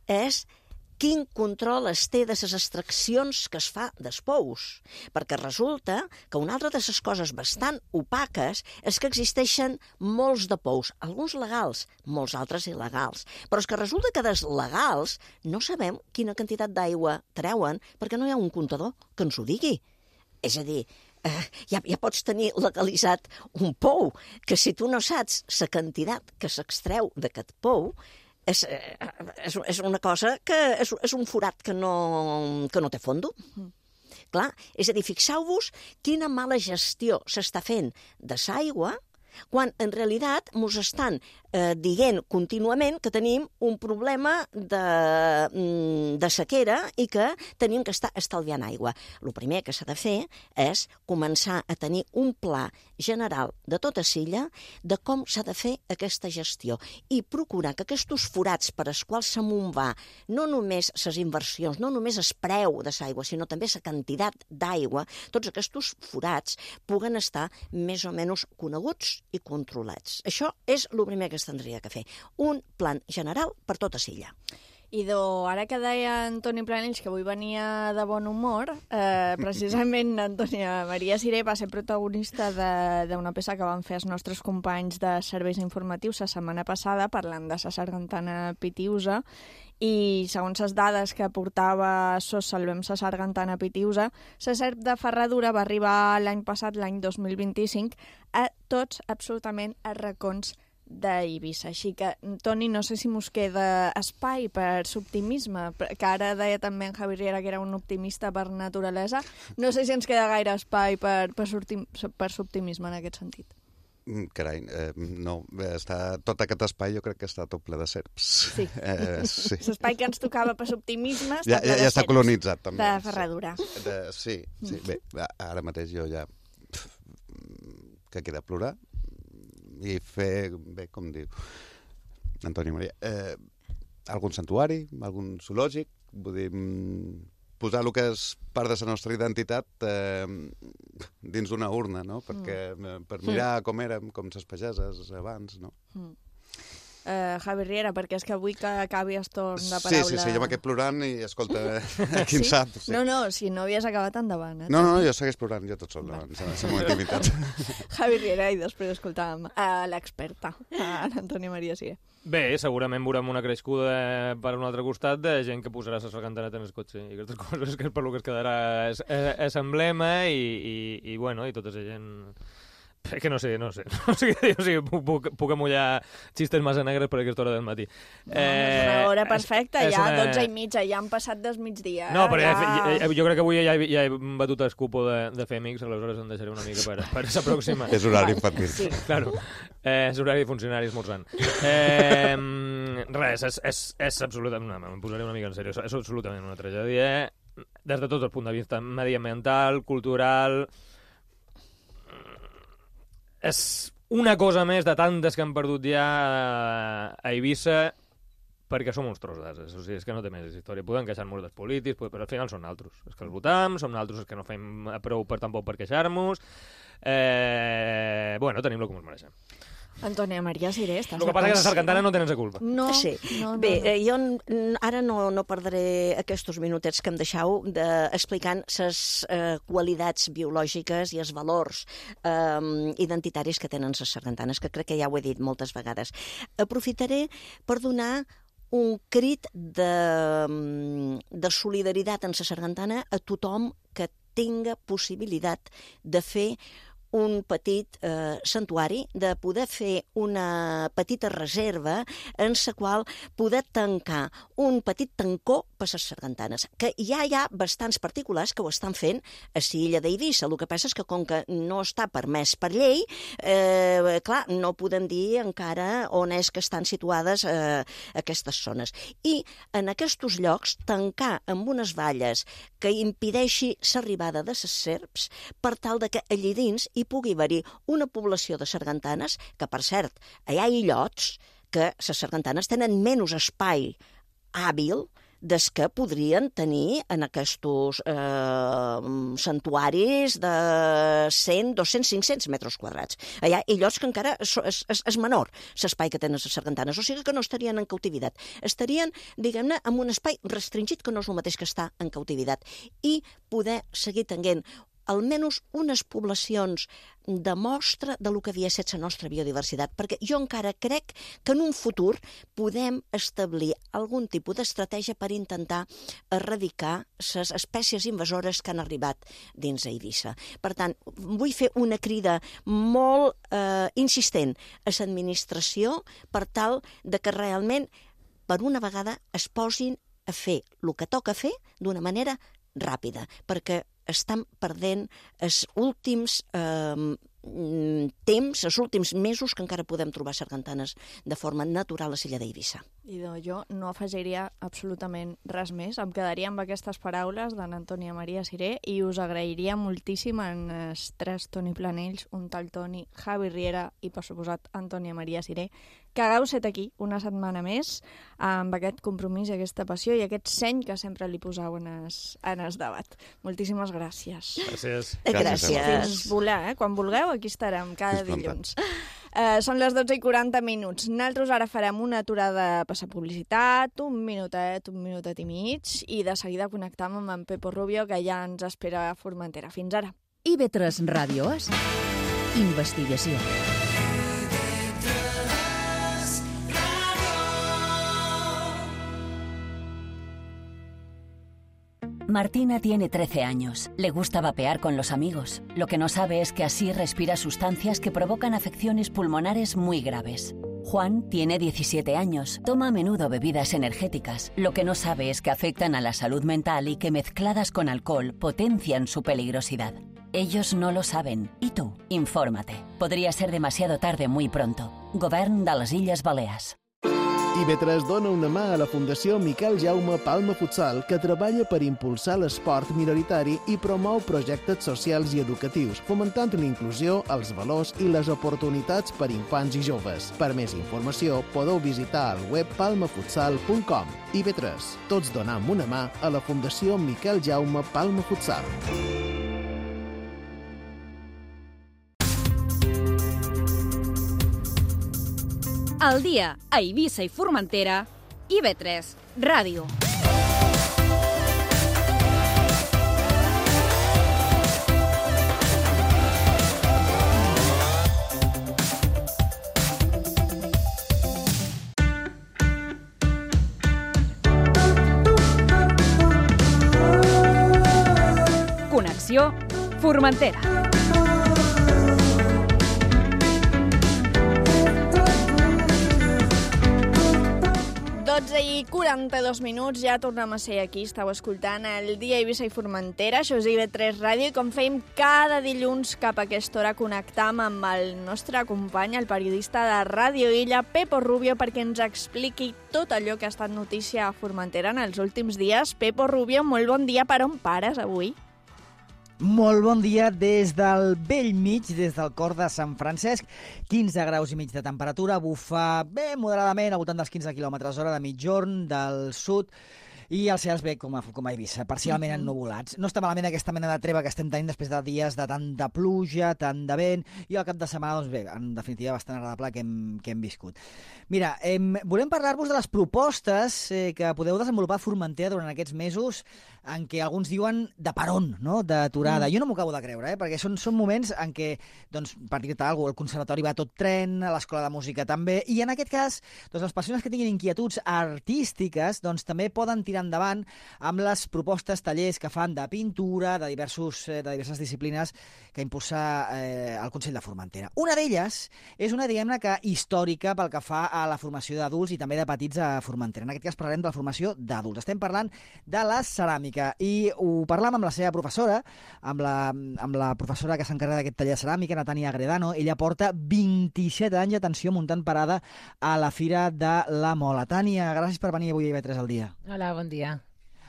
és quin control es té de les extraccions que es fa dels pous. Perquè resulta que una altra de les coses bastant opaques és que existeixen molts de pous, alguns legals, molts altres il·legals. Però és que resulta que dels legals no sabem quina quantitat d'aigua treuen perquè no hi ha un comptador que ens ho digui. És a dir, eh, ja, ja pots tenir legalitzat un pou, que si tu no saps la quantitat que s'extreu d'aquest pou, És, és, és una cosa que és, és un forat que no, que no té fondo. Mm. Clar, és a dir, fixeu-vos quina mala gestió s'està fent de l'aigua quan en realitat ens estan eh, dient contínuament que tenim un problema de, de sequera i que tenim que estar estalviant aigua. El primer que s'ha de fer és començar a tenir un pla general de tota Silla de com s'ha de fer aquesta gestió i procurar que aquests forats per als quals s'amunt va no només les inversions, no només el preu de l'aigua, sinó també la quantitat d'aigua, tots aquests forats puguen estar més o menys coneguts i controlats. Això és el primer que es tindria que fer. Un plan general per tota Silla. Idò, ara que deia Antoni Planells que avui venia de bon humor, eh, precisament Antònia Maria Siré va ser protagonista d'una peça que van fer els nostres companys de serveis informatius la setmana passada parlant de la sargantana pitiusa i segons les dades que portava Sos Salvem la sargantana pitiusa, la serp de Ferradura va arribar l'any passat, l'any dos mil vint-i-cinc, a tots absolutament els racons d'Eivissa. Així que, Toni, no sé si mos queda espai per l'optimisme, que ara deia també en Javi Riera que era un optimista per naturalesa. No sé si ens queda gaire espai per, per, per l'optimisme en aquest sentit. Carai, eh, no, està, tot aquest espai jo crec que està tot ple de serps. Sí, eh, sí. L'espai que ens tocava per l'optimisme està ja, ple ja, de ja està serps, colonitzat també. De Ferradura. De, sí, sí, bé, ara mateix jo ja que queda plorar i fer, bé, com diu Antònia Maria, eh, algun santuari, algun zoològic, vull dir, posar el que és part de la nostra identitat eh, dins d'una urna, no? Perquè, mm. per mirar com érem, com les pageses abans, no? Mm. Uh, Javi Riera, perquè és que vull que acabi el torn de paraula. Sí, sí, sí, jo m'he plorant i, escolta, qui en sí? sap. Sí. No, no, si no havies acabat endavant. Eh? No, no, jo segueix plorant, jo tot sol, davant, la meva intimitat. Javi Riera, i després escoltàvem a l'experta, a l'Antònia Maria Siré. Bé, segurament veurem una crescuda per un altre costat de gent que posarà la sargantaneta en el cotxe i aquestes coses que és per lo que es quedarà és, és, és emblema i, i, i, bueno, i tota la gent... Que no sé, no sé, no sé què dir, o sigui, puc, puc amullar xistes massa negres per aquesta hora del matí. No, eh, és una hora perfecta, és, és ja, una... dotze i mitja, ja han passat des migdia. No, però ja... ja, jo crec que avui ja he, ja he batut el cupo de, de Fèmix, aleshores em deixaré una mica per, per la pròxima. És horari infantil. Sí, claro. Eh, és horari de funcionari esmorzant. Eh, res, és, és, és absolutament, no, em posaré una mica en sèrio, és absolutament una tragèdia, des de tot el punt de vista mediambiental, cultural... És una cosa més de tantes que han perdut ja a Eivissa perquè som uns tros d'ases. O sigui, és que no té més història. Podem queixar-nos dels polítics, però al final són naltros. És que els votam, som naltros els que no fem prou per tampoc per queixar-nos. Eh, bueno, tenim el que ens mereixem. Antònia Maria Siré, estàs... El que passa és que la sargantana no tenen la culpa. No, sí. no, no, Bé, no. Eh, jo ara no, no perdré aquests minutets que em deixeu de, explicant les eh, qualitats biològiques i els valors eh, identitaris que tenen les sargantanes, que crec que ja ho he dit moltes vegades. Aprofitaré per donar un crit de, de solidaritat en la sargantana a tothom que tinga possibilitat de fer un petit eh, santuari, de poder fer una petita reserva en la qual poder tancar un petit tancó per les sargantanes, que ja hi ha bastants particulars que ho estan fent a l'illa d'Eivissa. El que passa és que com que no està permès per llei, eh, clar, no podem dir encara on és que estan situades eh, aquestes zones. I en aquests llocs tancar amb unes valles que impedeixi l'arribada de les serps per tal de que allí dins hi pugui haver-hi una població de sargantanes, que per cert, allà hi ha illots, que les sargantanes tenen menys espai hàbil des que podrien tenir en aquests eh, santuaris de cent, dos-cents, cinc-cents metres quadrats. Allà hi ha llocs que encara és, és, és menor l'espai que tenen les sargantanes, o sigui que no estarien en cautivitat. Estarien, diguem-ne, en un espai restringit que no és el mateix que està en cautivitat i poder seguir tenint almenys unes poblacions de mostra de lo que havia estat la nostra biodiversitat, perquè jo encara crec que en un futur podem establir algun tipus d'estratègia per intentar erradicar les espècies invasores que han arribat dins Eivissa. Per tant, vull fer una crida molt eh, insistent a l'administració per tal de que realment, per una vegada, es posin a fer el que toca fer d'una manera ràpida, perquè estan perdent els últims eh, temps, els últims mesos que encara podem trobar sargantanes de forma natural a l'illa d'Eivissa. Idò, jo no afegiria absolutament res més. Em quedaria amb aquestes paraules d'en Antònia Maria Siré i us agrairia moltíssim en els tres Toni Planells, un tal Toni, Javi Riera i, per suposat, Antònia Maria Siré, que hagueu set aquí una setmana més amb aquest compromís, aquesta passió i aquest seny que sempre li poseu en es, en es debat. Moltíssimes gràcies. Gràcies. Gràcies. Fins volar, eh? Quan vulgueu, aquí estarem cada dilluns. Uh, són les dotze i quaranta minuts. Nosaltres ara farem una aturada a passar publicitat, un minutet, un minutet i mig, i de seguida connectam amb en Pepo Rubio, que ja ens espera a Formentera. Fins ara. I ve tres Ràdio És, investigació. Martina tiene trece años. Le gusta vapear con los amigos. Lo que no sabe es que así respira sustancias que provocan afecciones pulmonares muy graves. Juan tiene diecisiete años. Toma a menudo bebidas energéticas. Lo que no sabe es que afectan a la salud mental y que mezcladas con alcohol potencian su peligrosidad. Ellos no lo saben. ¿Y tú? Infórmate. Podría ser demasiado tarde muy pronto. Govern de les Illes Balears. I ve tres dona una mà a la Fundació Miquel Jaume Palma Futsal, que treballa per impulsar l'esport minoritari i promou projectes socials i educatius, fomentant la inclusió, els valors i les oportunitats per infants i joves. Per més informació, podeu visitar el web palma futsal punt com. I ve tres, tots donam una mà a la Fundació Miquel Jaume Palma Futsal. Al dia a Eivissa i Formentera, I ve tres Ràdio. Connexió Formentera. dotze i quaranta-dos minuts, ja tornem a ser aquí. Estàu escoltant el Dia Eivissa i Formentera, això és I ve tres Ràdio, i com fèiem cada dilluns cap a aquesta hora connectam amb el nostre company, el periodista de Ràdio Illa, Pepo Rubio, perquè ens expliqui tot allò que ha estat notícia a Formentera en els últims dies. Pepo Rubio, molt bon dia. Per on pares avui? Molt bon dia des del vell mig, des del cor de Sant Francesc. quinze graus i mig de temperatura, bufa bé moderadament, al voltant dels quinze quilòmetres hora de mitjorn, del sud, i els cels bé com a, com a Eivissa, parcialment uh-huh. ennuvolats. No està malament aquesta mena de treva que estem tenint després de dies de tanta pluja, tant de vent, i al cap de setmana, doncs bé, en definitiva bastant agradable que hem, que hem viscut. Mira, eh, volem parlar-vos de les propostes eh, que podeu desenvolupar a Formentera durant aquests mesos en què alguns diuen de peron, no? D'aturada. Mm. Jo no m'ho acabo de creure, eh? Perquè són, són moments en què, doncs, per dir-te alguna cosa, el conservatori va tot tren, l'escola de música també, i en aquest cas, doncs, les persones que tinguin inquietuds artístiques, doncs, també poden tirar endavant amb les propostes, tallers que fan de pintura, de, diversos, de diverses disciplines que impulsa eh, el Consell de Formentera. Una d'elles és una, diguem-ne, que històrica pel que fa a la formació d'adults i també de petits a Formentera. En aquest cas parlarem de la formació d'adults. Estem parlant de la ceràmica i ho parlam amb la seva professora, amb la, amb la professora que s'encarrega d'aquest taller de ceràmica, Natània Agredano. Ella porta vint-i-set anys, atenció, muntant parada a la Fira de la Mola. Tània, gràcies per venir avui a I ve tres al dia. Hola, bon dia.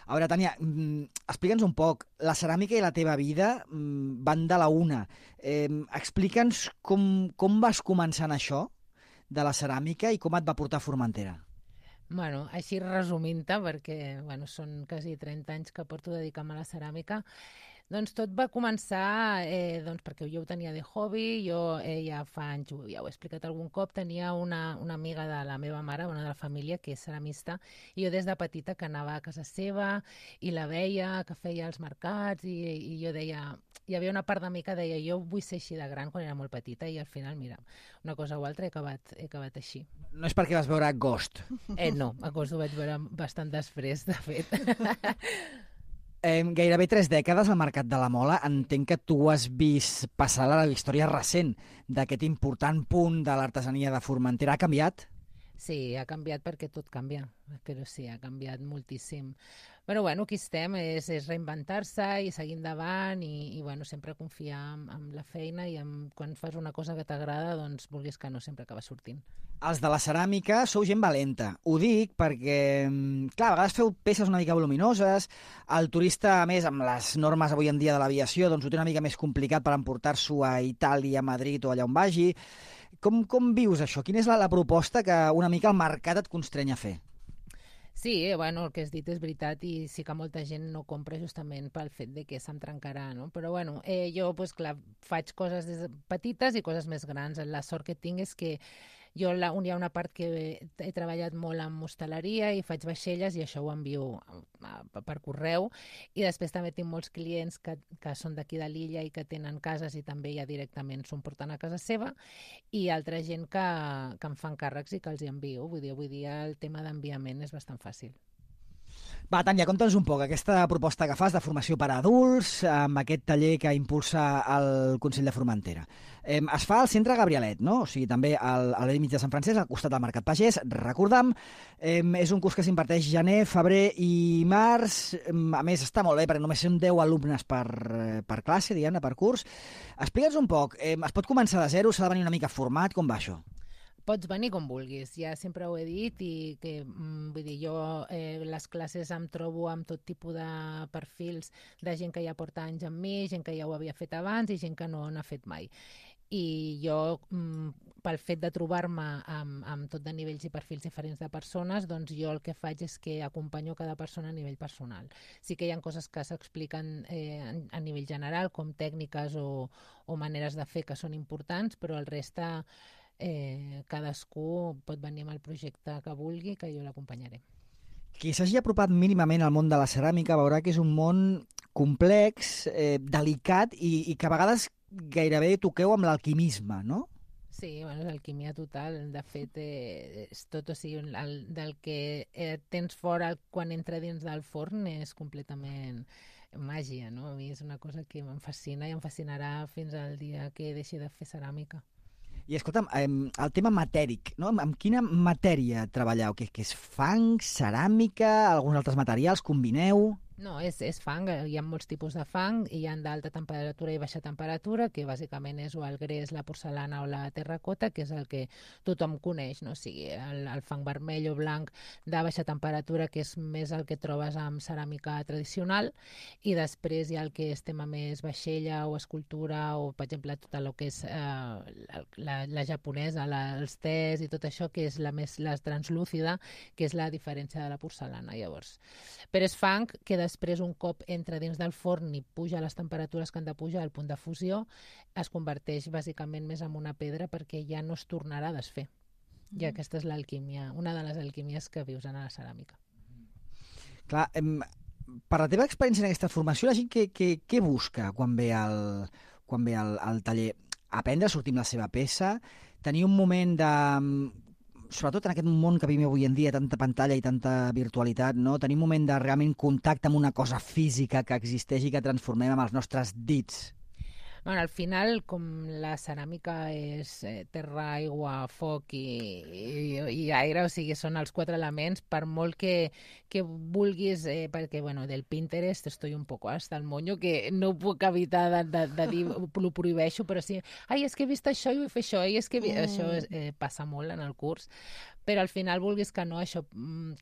A veure, Tània, explica'ns un poc. La ceràmica i la teva vida van de la una. Eh, explica'ns com, com vas començar en això, de la ceràmica i com et va portar a Formentera? Bueno, així resumint-te, perquè bueno, són quasi trenta anys que porto dedicant-me a la ceràmica, doncs tot va començar eh, doncs perquè jo ho tenia de hobby, jo eh, ja fa anys, ja ho he explicat algun cop, tenia una, una amiga de la meva mare, una de la família, que és ceramista, i jo des de petita que anava a casa seva i la veia, que feia els mercats, i, i jo deia, hi havia una part de mi que deia, jo vull ser així de gran quan era molt petita, i al final, mira, una cosa o altra he acabat, he acabat així. No és perquè vas veure Ghost? Eh, no, a Ghost ho vaig veure bastant després, de fet. Eh, gairebé tres dècades al Mercat de la Mola. Entenc que tu has vist passar la història recent d'aquest important punt de l'artesania de Formentera. Ha canviat? Sí, ha canviat perquè tot canvia, però sí, ha canviat moltíssim. Però bueno, aquí estem, és, és reinventar-se i seguir endavant i, i bueno, sempre confiar en, en la feina i en, quan fas una cosa que t'agrada, doncs vulguis que no, sempre acaba sortint. Els de la ceràmica sou gent valenta. Ho dic perquè, clar, a vegades feu peces una mica voluminoses, el turista, a més, amb les normes avui en dia de l'aviació, doncs ho té una mica més complicat per emportar-s'ho a Itàlia, a Madrid o allà on vagi. Com, com vius això? Quina és la, la proposta que una mica el mercat et constreny a fer? Sí, eh, bueno, el que has dit és veritat i sí que molta gent no compra justament pel fet de que se'm trencarà, no? Però bueno, eh, jo, pues, clar, faig coses des de petites i coses més grans. La sort que tinc és que jo la, hi ha una part que he treballat molt amb hostaleria i faig vaixelles i això ho envio per correu, i després també tinc molts clients que, que són d'aquí de l'illa i que tenen cases i també ja directament s'ho porten a casa seva, i altra gent que, que em fan càrrecs i que els hi envio. Vull dir, avui dia el tema d'enviament és bastant fàcil. Va, Tània, conta'ns un poc aquesta proposta que fas de formació per a adults amb aquest taller que impulsa el Consell de Formentera. Eh, es fa al centre Gabrielet, no? O sigui, també al, a l'Edimig de Sant Francesc, al costat del Mercat Pagès, recordam. Eh, és un curs que s'imparteix gener, febrer i març. A més, està molt bé, perquè només són deu alumnes per, per classe, diguem-ne, per curs. Explica'ns un poc, eh, es pot començar de zero, s'ha de venir una mica format, com va això? Pots venir com vulguis, ja sempre ho he dit, i que, mm, vull dir, jo eh, les classes em trobo amb tot tipus de perfils de gent que ja porta anys amb mi, gent que ja ho havia fet abans i gent que no n'ha fet mai. I jo, mm, pel fet de trobar-me amb, amb tot de nivells i perfils diferents de persones, doncs jo el que faig és que acompanyo cada persona a nivell personal. Sí que hi ha coses que s'expliquen eh, a nivell general, com tècniques o, o maneres de fer que són importants, però el reste... Eh, cadascú pot venir amb el projecte que vulgui, que jo l'acompanyaré. Qui s'hagi apropat mínimament al món de la ceràmica veurà que és un món complex, eh, delicat i, i que a vegades gairebé toqueu amb l'alquimisme, no? Sí, bueno, és alquimia total. De fet, eh, és tot, o sigui, el, del que eh, tens fora quan entra dins del forn és completament màgia, no? A mi és una cosa que em fascina i em fascinarà fins al dia que deixi de fer ceràmica. I escolta'm, el tema matèric, no? Amb quina matèria treballeu? Que, que és fang, ceràmica, alguns altres materials, combineu? No, és, és fang. Hi ha molts tipus de fang, i hi ha d'alta temperatura i baixa temperatura, que bàsicament és o el gres, la porcelana o la terracota, que és el que tothom coneix, no? O sigui, el, el fang vermell o blanc de baixa temperatura, que és més el que trobes amb ceràmica tradicional, i després hi ha el que és tema més vaixella o escultura, o, per exemple, tot el que és eh, la, la japonesa, la, els tés i tot això, que és la més la translúcida, que és la diferència de la porcelana, llavors. Però és fang que després, un cop entra dins del forn i puja a les temperatures que han de pujar al punt de fusió, es converteix bàsicament més en una pedra perquè ja no es tornarà a desfer. Mm. I aquesta és l'alquímia, una de les alquímies que vius en la ceràmica. Clar, em, per la teva experiència en aquesta formació, la gent què, què, què busca quan ve al, quan ve al, al taller? Aprendre a sortir amb la seva peça, tenir un moment de... sobretot en aquest món que vivim avui en dia, tanta pantalla i tanta virtualitat, no? Tenim un moment de realment contacte amb una cosa física que existeix i que transformem amb els nostres dits. Bueno, al final, com la ceràmica és eh, terra, aigua, foc i, i, i aire, o sigui, són els quatre elements, per molt que, que vulguis, eh, perquè, bueno, del Pinterest estoy un poco hasta el moño, que no puc evitar de, de, de dir, ho prohibeixo, però sí, ai, és que he vist això i vull fer això, i és que mm. això eh, passa molt en el curs, però al final, vulguis que no, això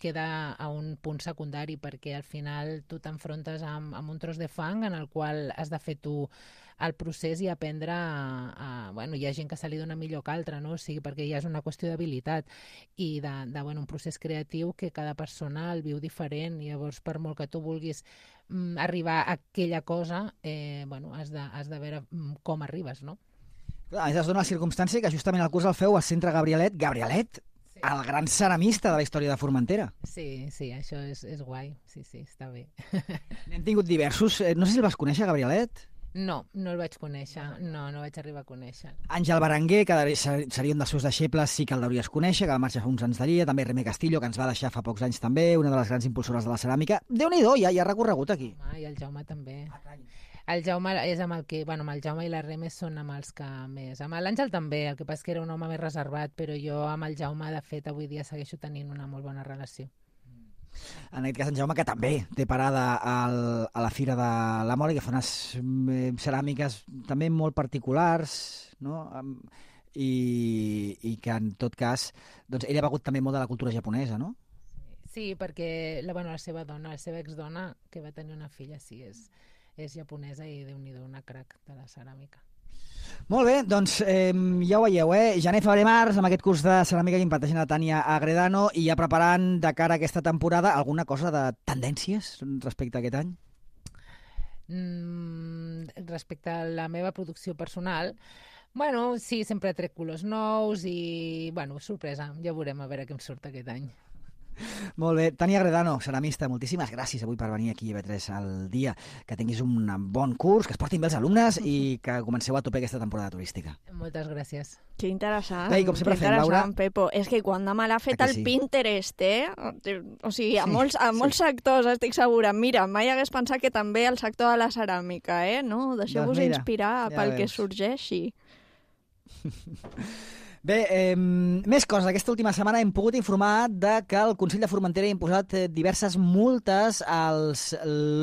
queda a un punt secundari, perquè al final tu t'enfrontes amb, amb un tros de fang en el qual has de fer tu el procés procés i aprendre a, a... Bueno, hi ha gent que se li dona millor que altra, no? O sigui, perquè ja és una qüestió d'habilitat i de, de bueno, un procés creatiu que cada persona el viu diferent. I llavors, per molt que tu vulguis mm, arribar a aquella cosa, eh, bueno, has de, has de veure mm, com arribes, no? A més, es dona la circumstància que justament el curs el feu al Centre Gabrielet. Gabrielet, sí. El gran ceramista de la història de Formentera. Sí, sí, això és, és guai. Sí, sí, està bé. N'hem tingut diversos. No sé si el vas conèixer, Gabrielet? No, no el vaig conèixer. No, no vaig arribar a conèixer. Àngel Berenguer, que seria un dels seus deixebles, sí que el deuries conèixer, que va marxar fa uns anys d'allí. També Remé Castillo, que ens va deixar fa pocs anys també, una de les grans impulsores de la ceràmica. Déu-n'hi-do, ja hi ha recorregut aquí. Ah, i el Jaume també. El Jaume és amb el que... Bueno, amb el Jaume i la Remé són amb els que més... Amb l'Àngel també, el que passa que era un home més reservat, però jo amb el Jaume, de fet, avui dia segueixo tenint una molt bona relació. En aquest cas, en Jaume, que també té parada al, a la Fira de la Mola, que fa unes eh, ceràmiques també molt particulars, no? I, i que, en tot cas, doncs, ell ha begut també molt de la cultura japonesa, no? Sí, perquè la, bueno, la seva dona, la seva exdona, que va tenir una filla, sí, és, és japonesa i déu-n'hi-do, una crac de la ceràmica. Molt bé, doncs eh, ja ho veieu, eh? Gener, febrer, març, amb aquest curs de ceràmica que imparteix la Tània Agredano, i ja preparant de cara a aquesta temporada alguna cosa de tendències respecte a aquest any? Mm, respecte a la meva producció personal, bueno, sí, sempre trec colors nous i, bueno, sorpresa, ja veurem a veure què em surt aquest any. Molt bé. Tània Agredano, ceramista, moltíssimes gràcies avui per venir aquí a I V tres al dia. Que tinguis un bon curs, que es portin bé els alumnes i que comenceu a tope aquesta temporada turística. Moltes gràcies. Que interessant. Bé, com sempre fem, Laura. Pepo. És que quan demà l'ha fet el sí. Pinterest, eh? O sigui, a, sí, molts, a molts sí. sectors estic segura. Mira, mai hagués pensat que també el sector de la ceràmica, eh? No? Deixeu-vos doncs inspirar ja pel veus. Que sorgeixi. Bé, eh, més coses. Aquesta última setmana hem pogut informar de que el Consell de Formentera ha imposat diverses multes als,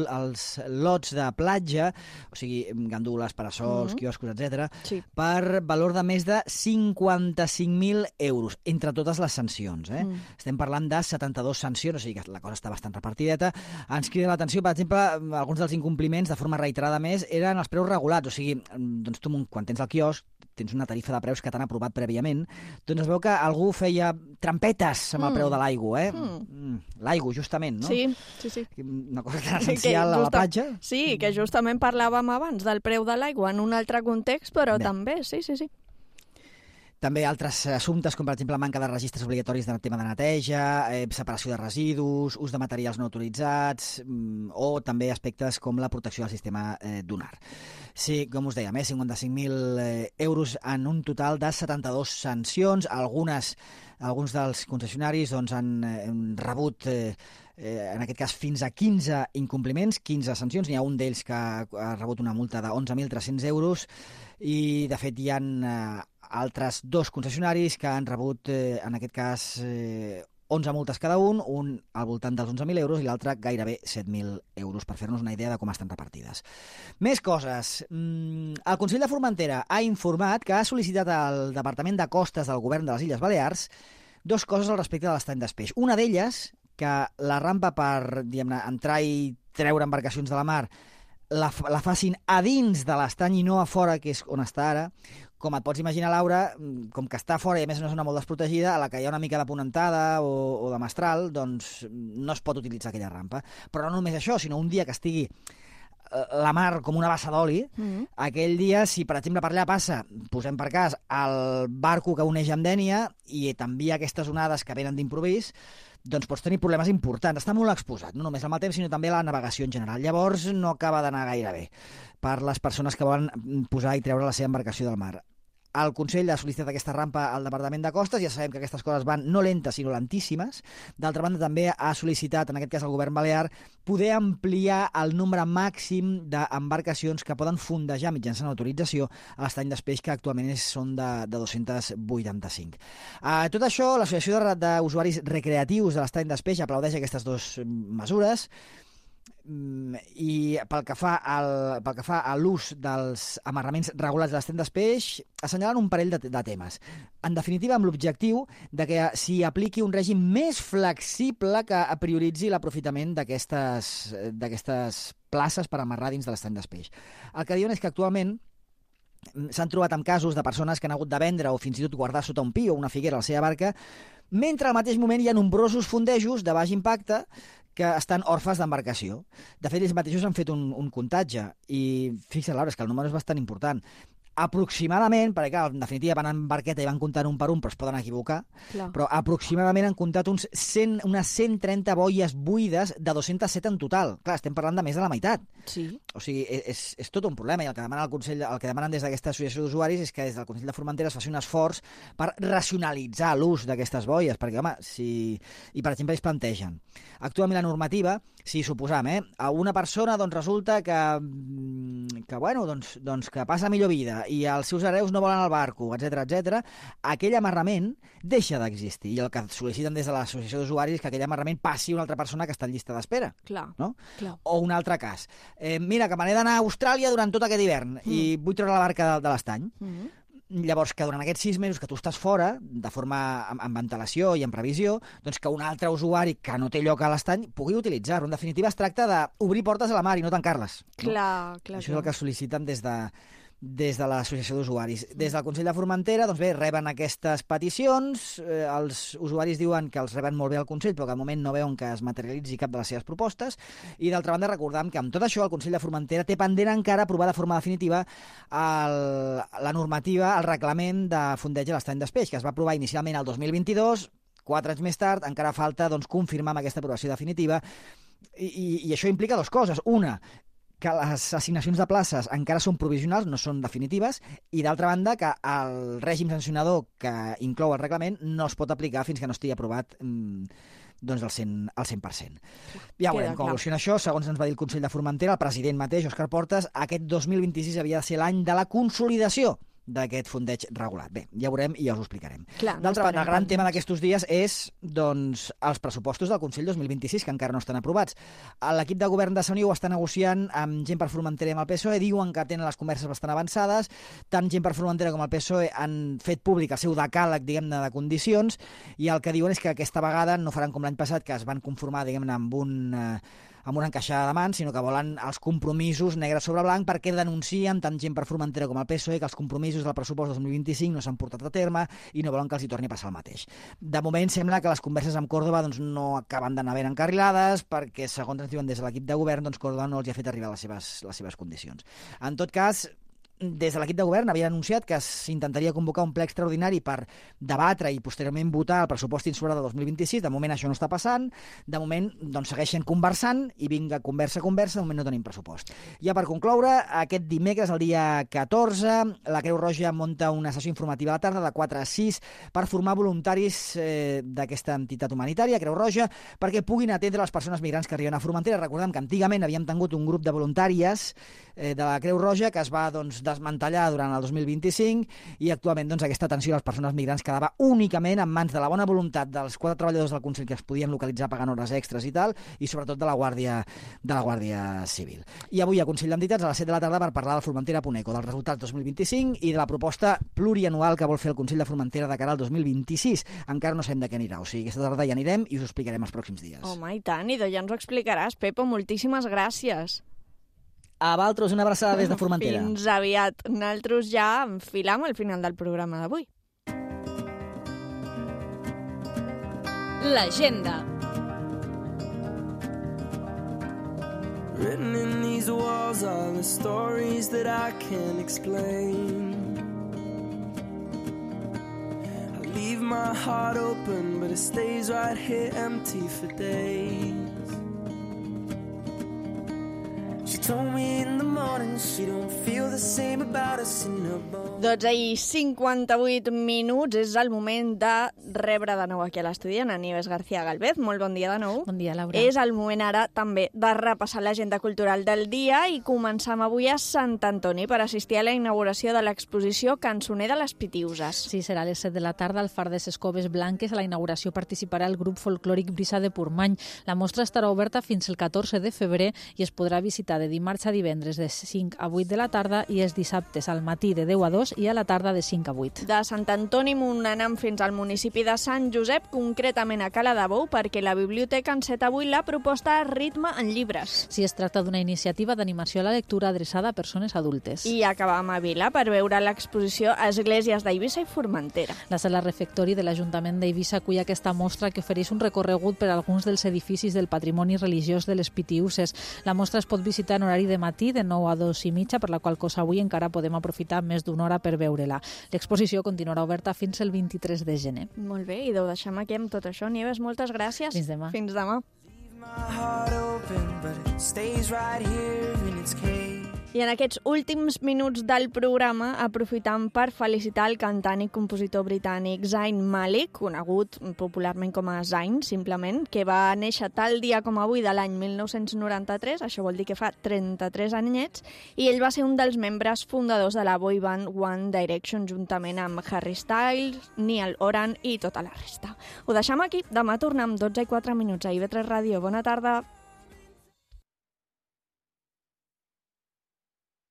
als lots de platja, o sigui, gandules, parasols, mm-hmm. quioscos, etcètera, sí. per valor de més de cinquanta-cinc mil euros, entre totes les sancions. Eh? Mm. Estem parlant de setanta-dues sancions, o sigui que la cosa està bastant repartideta. Ens crida l'atenció, per exemple, alguns dels incompliments, de forma reiterada més, eren els preus regulats, o sigui, doncs tu, quan tens el quiosc, tens una tarifa de preus que t'han aprovat prèviament, doncs es veu que algú feia trampetes amb el mm. preu de l'aigua, eh? Mm. L'aigua, justament, no? Sí, sí, sí. Una cosa tan essencial a la platja. Sí, que justament parlàvem abans del preu de l'aigua en un altre context, però Bé. també, sí, sí, sí. També altres assumptes, com per exemple la manca de registres obligatoris de tema de neteja, eh, separació de residus, ús de materials no autoritzats, mm, o també aspectes com la protecció del sistema eh, dunar. Sí, com us dèiem, eh, cinquanta-cinc mil eh, euros en un total de setanta-dues sancions. Algunes, alguns dels concessionaris doncs, han, eh, han rebut... Eh, Eh, en aquest cas fins a quinze incompliments, quinze sancions. N'hi ha un d'ells que ha, ha rebut una multa de onze mil tres-cents euros i, de fet, hi ha eh, altres dos concessionaris que han rebut, eh, en aquest cas, eh, onze multes cada un, un al voltant dels onze mil euros i l'altre gairebé set mil euros, per fer-nos una idea de com estan repartides. Més coses. El Consell de Formentera ha informat que ha sol·licitat al Departament de Costes del Govern de les Illes Balears dos coses al respecte de l'estany d'Espeix. Una d'elles, que la rampa per, diguem-ne, entrar i treure embarcacions de la mar la, la facin a dins de l'estany i no a fora, que és on està ara. Com et pots imaginar, Laura, com que està a fora i a més una zona molt desprotegida, a la que hi ha una mica de ponentada o, o de mestral, doncs no es pot utilitzar aquella rampa. Però no només això, sinó un dia que estigui la mar com una bassa d'oli, mm-hmm. aquell dia, si per exemple per allà passa, posem per cas, el barco que uneix amb Dénia i t'envia aquestes onades que venen d'improvís, doncs pots tenir problemes importants. Està molt exposat, no només al mal temps, sinó també a la navegació en general. Llavors no acaba d'anar gaire bé per les persones que volen posar i treure la seva embarcació del mar. El Consell ha sol·licitat aquesta rampa al Departament de Costes, ja sabem que aquestes coses van no lentes, sinó lentíssimes. D'altra banda, també ha sol·licitat, en aquest cas el govern balear, poder ampliar el nombre màxim d'embarcacions que poden fondejar mitjançant autorització a l'estany d'Espeix, que actualment són de, de dos-cents vuitanta-cinc. Uh, tot això, l'Associació d'Usuaris Recreatius de l'estany d'Espeix aplaudeix aquestes dues mesures, i pel que fa al, pel que fa a l'ús dels amarraments regulats de l'estany d'Espeix, assenyalen un parell de, de temes. En definitiva, amb l'objectiu de que s'hi apliqui un règim més flexible que prioritzi l'aprofitament d'aquestes d'aquestes places per amarrar dins de l'estany d'Espeix. El que diuen és que actualment s'han trobat amb casos de persones que han hagut de vendre o fins i tot guardar sota un pi o una figuera la seva barca, mentre al mateix moment hi ha nombrosos fondejos de baix impacte que estan orfes d'embarcació. De fet, ells mateixos han fet un, un comptatge i fixa't, Laura, és que el número és bastant important. Aproximadament, perquè clar, en definitiva van en barqueta i van comptant un per un, però es poden equivocar, Clar. però aproximadament han comptat uns cent, unes cent trenta boies buides de dos-cents set en total. Clar, estem parlant de més de la meitat. Sí. O sigui, és, és tot un problema, i el que demana el Consell, el que demanen des d'aquesta associació d'usuaris és que des del Consell de Formentera es faci un esforç per racionalitzar l'ús d'aquestes boies, perquè, home, si... I, per exemple, ells plantegen. Actualment la normativa, si suposam, eh, a una persona doncs, resulta que, que, bueno, doncs, doncs, que passa millor vida i els seus hereus no volen el barco, etcètera, etcètera, aquell amarrament deixa d'existir. I el que sol·liciten des de l'associació d'usuaris és que aquell amarrament passi a una altra persona que està en llista d'espera. Clar, no? clar. O un altre cas. Eh, mira, que me n'he d'anar a Austràlia durant tot aquest hivern mm. i vull treure la barca de, de l'estany. Mm. Llavors, que durant aquests sis mesos que tu estàs fora, de forma amb, amb antelació i amb previsió, doncs que un altre usuari que no té lloc a l'estany pugui utilitzar-ho. En definitiva, es tracta d'obrir portes a la mar i no tancar-les. No? Clar, clar. Això és clar. el que sol·liciten des de, des de l'associació d'usuaris. Des del Consell de Formentera, doncs bé, reben aquestes peticions, eh, els usuaris diuen que els reben molt bé al Consell, però que al moment no veuen que es materialitzi cap de les seves propostes, i d'altra banda recordam que amb tot això el Consell de Formentera té pendent encara aprovar de forma definitiva el, la normativa, el reglament de fondeig a l'estany d'Espeix, que es va aprovar inicialment el dos mil vint-i-dos, quatre anys més tard, encara falta doncs, confirmar amb aquesta aprovació definitiva, i, i, i això implica dues coses. Una, que les assignacions de places encara són provisionals, no són definitives, i d'altra banda que el règim sancionador que inclou el reglament no es pot aplicar fins que no estigui aprovat mm, doncs el cent, el cent per cent. Ja veurem com evoluciona això. Segons ens va dir el Consell de Formentera, el president mateix, Òscar Portes, aquest dos mil vint-i-sis havia de ser l'any de la consolidació d'aquest fondeig regulat. Bé, ja veurem i ja us ho explicarem. D'altra banda, el gran tema d'aquests dies és doncs, els pressupostos del Consell dos mil vint-i-sis, que encara no estan aprovats. L'equip de govern de Sant Iu està negociant amb gent per Formentera i amb el P S O E, diuen que tenen les converses bastant avançades, tant gent per Formentera com el P S O E han fet públic el seu decàleg, diguem-ne, de condicions, i el que diuen és que aquesta vegada no faran com l'any passat, que es van conformar, diguem-ne, amb un... Eh, amb una encaixada de mans, sinó que volen els compromisos negre sobre blanc, perquè denuncien tant gent per Formentera com el P S O E que els compromisos del pressupost dos mil vint-i-cinc no s'han portat a terme i no volen que els hi torni a passar el mateix. De moment sembla que les converses amb Còrdova doncs, no acaben d'anar ben encarrilades, perquè segons ens diuen des de l'equip de govern, doncs Còrdova no els hi ha fet arribar les seves, les seves condicions. En tot cas, des de l'equip de govern havia anunciat que s'intentaria convocar un ple extraordinari per debatre i posteriorment votar el pressupost insular de dos mil vint-i-sis. De moment això no està passant. De moment doncs, segueixen conversant i vinga, conversa, conversa, de moment no tenim pressupost. Ja per concloure, aquest dimecres, el dia catorze, la Creu Roja munta una sessió informativa a la tarda de quatre a sis per formar voluntaris eh, d'aquesta entitat humanitària, Creu Roja, perquè puguin atendre les persones migrants que arriben a Formentera. Recordem que antigament havíem tingut un grup de voluntàries eh, de la Creu Roja que es va doncs, desmantellar durant el dos mil vint-i-cinc i actualment doncs, aquesta atenció a les persones migrants quedava únicament en mans de la bona voluntat dels quatre treballadors del Consell que es podien localitzar pagant hores extres i tal, i sobretot de la Guàrdia, de la Guàrdia Civil. I avui a Consell d'Entitats a les set de la tarda per parlar del Formentera punt eco, dels resultats dos mil vint-i-cinc i de la proposta plurianual que vol fer el Consell de Formentera de cara al dos mil vint-i-sis. Encara no sabem de què anirà, o sigui, aquesta tarda ja anirem i us ho explicarem els pròxims dies. Home, i tant, i de ja ens ho explicaràs, Pepo, moltíssimes gràcies. A Valtros, una abraçada des de Formentera. Fins aviat. Nosaltres ja enfilam al final del programa d'avui. L'agenda. Written in these walls are the stories that I can't explain. I leave my heart open, but it stays right here empty for days. She told me in the morning she don't feel the same about us in her bones. dotze i cinquanta-vuit minuts, és el moment de rebre de nou aquí a l'estudi en Nieves García Galvez. Molt bon dia de nou. Bon dia, Laura. És el moment ara també de repassar l'agenda cultural del dia i començam avui a Sant Antoni per assistir a la inauguració de l'exposició Cançoner de les Pitiuses. Sí, serà a les set de la tarda al Far de ses Coves Blanques. A la inauguració participarà el grup folclòric Brisa de Portmany. La mostra estarà oberta fins el catorze de febrer i es podrà visitar de dimarts a divendres de cinc a vuit de la tarda i els dissabtes al matí de deu a dos i a la tarda de cinc a vuit. De Sant Antoni Montanam fins al municipi de Sant Josep, concretament a Cala de Bou, perquè la biblioteca enceta avui la proposta Ritme en llibres. Si es tracta d'una iniciativa d'animació a la lectura adreçada a persones adultes. I acabam a Vila per veure l'exposició Esglésies d'Eivissa i Formentera. La sala refectori de l'Ajuntament d'Eivissa acull aquesta mostra que ofereix un recorregut per a alguns dels edificis del patrimoni religiós de les Pitiüses. La mostra es pot visitar en horari de matí de nou a dos i mitja, per la qual cosa avui encara podem aprofitar més d'una hora per veure-la. L'exposició continuarà oberta fins el vint-i-tres de gener. Molt bé, i ho deixem aquí amb tot això. Nieves, moltes gràcies. Fins demà. Fins demà. I en aquests últims minuts del programa aprofitam per felicitar el cantant i compositor britànic Zayn Malik, conegut popularment com a Zayn, simplement, que va néixer tal dia com avui de l'any mil nou-cents noranta-tres, això vol dir que fa trenta-tres anyets, i ell va ser un dels membres fundadors de la boy band One Direction, juntament amb Harry Styles, Niall Horan i tota la resta. Ho deixem aquí, demà tornem amb dotze i quatre minuts a I V tres Ràdio. Bona tarda.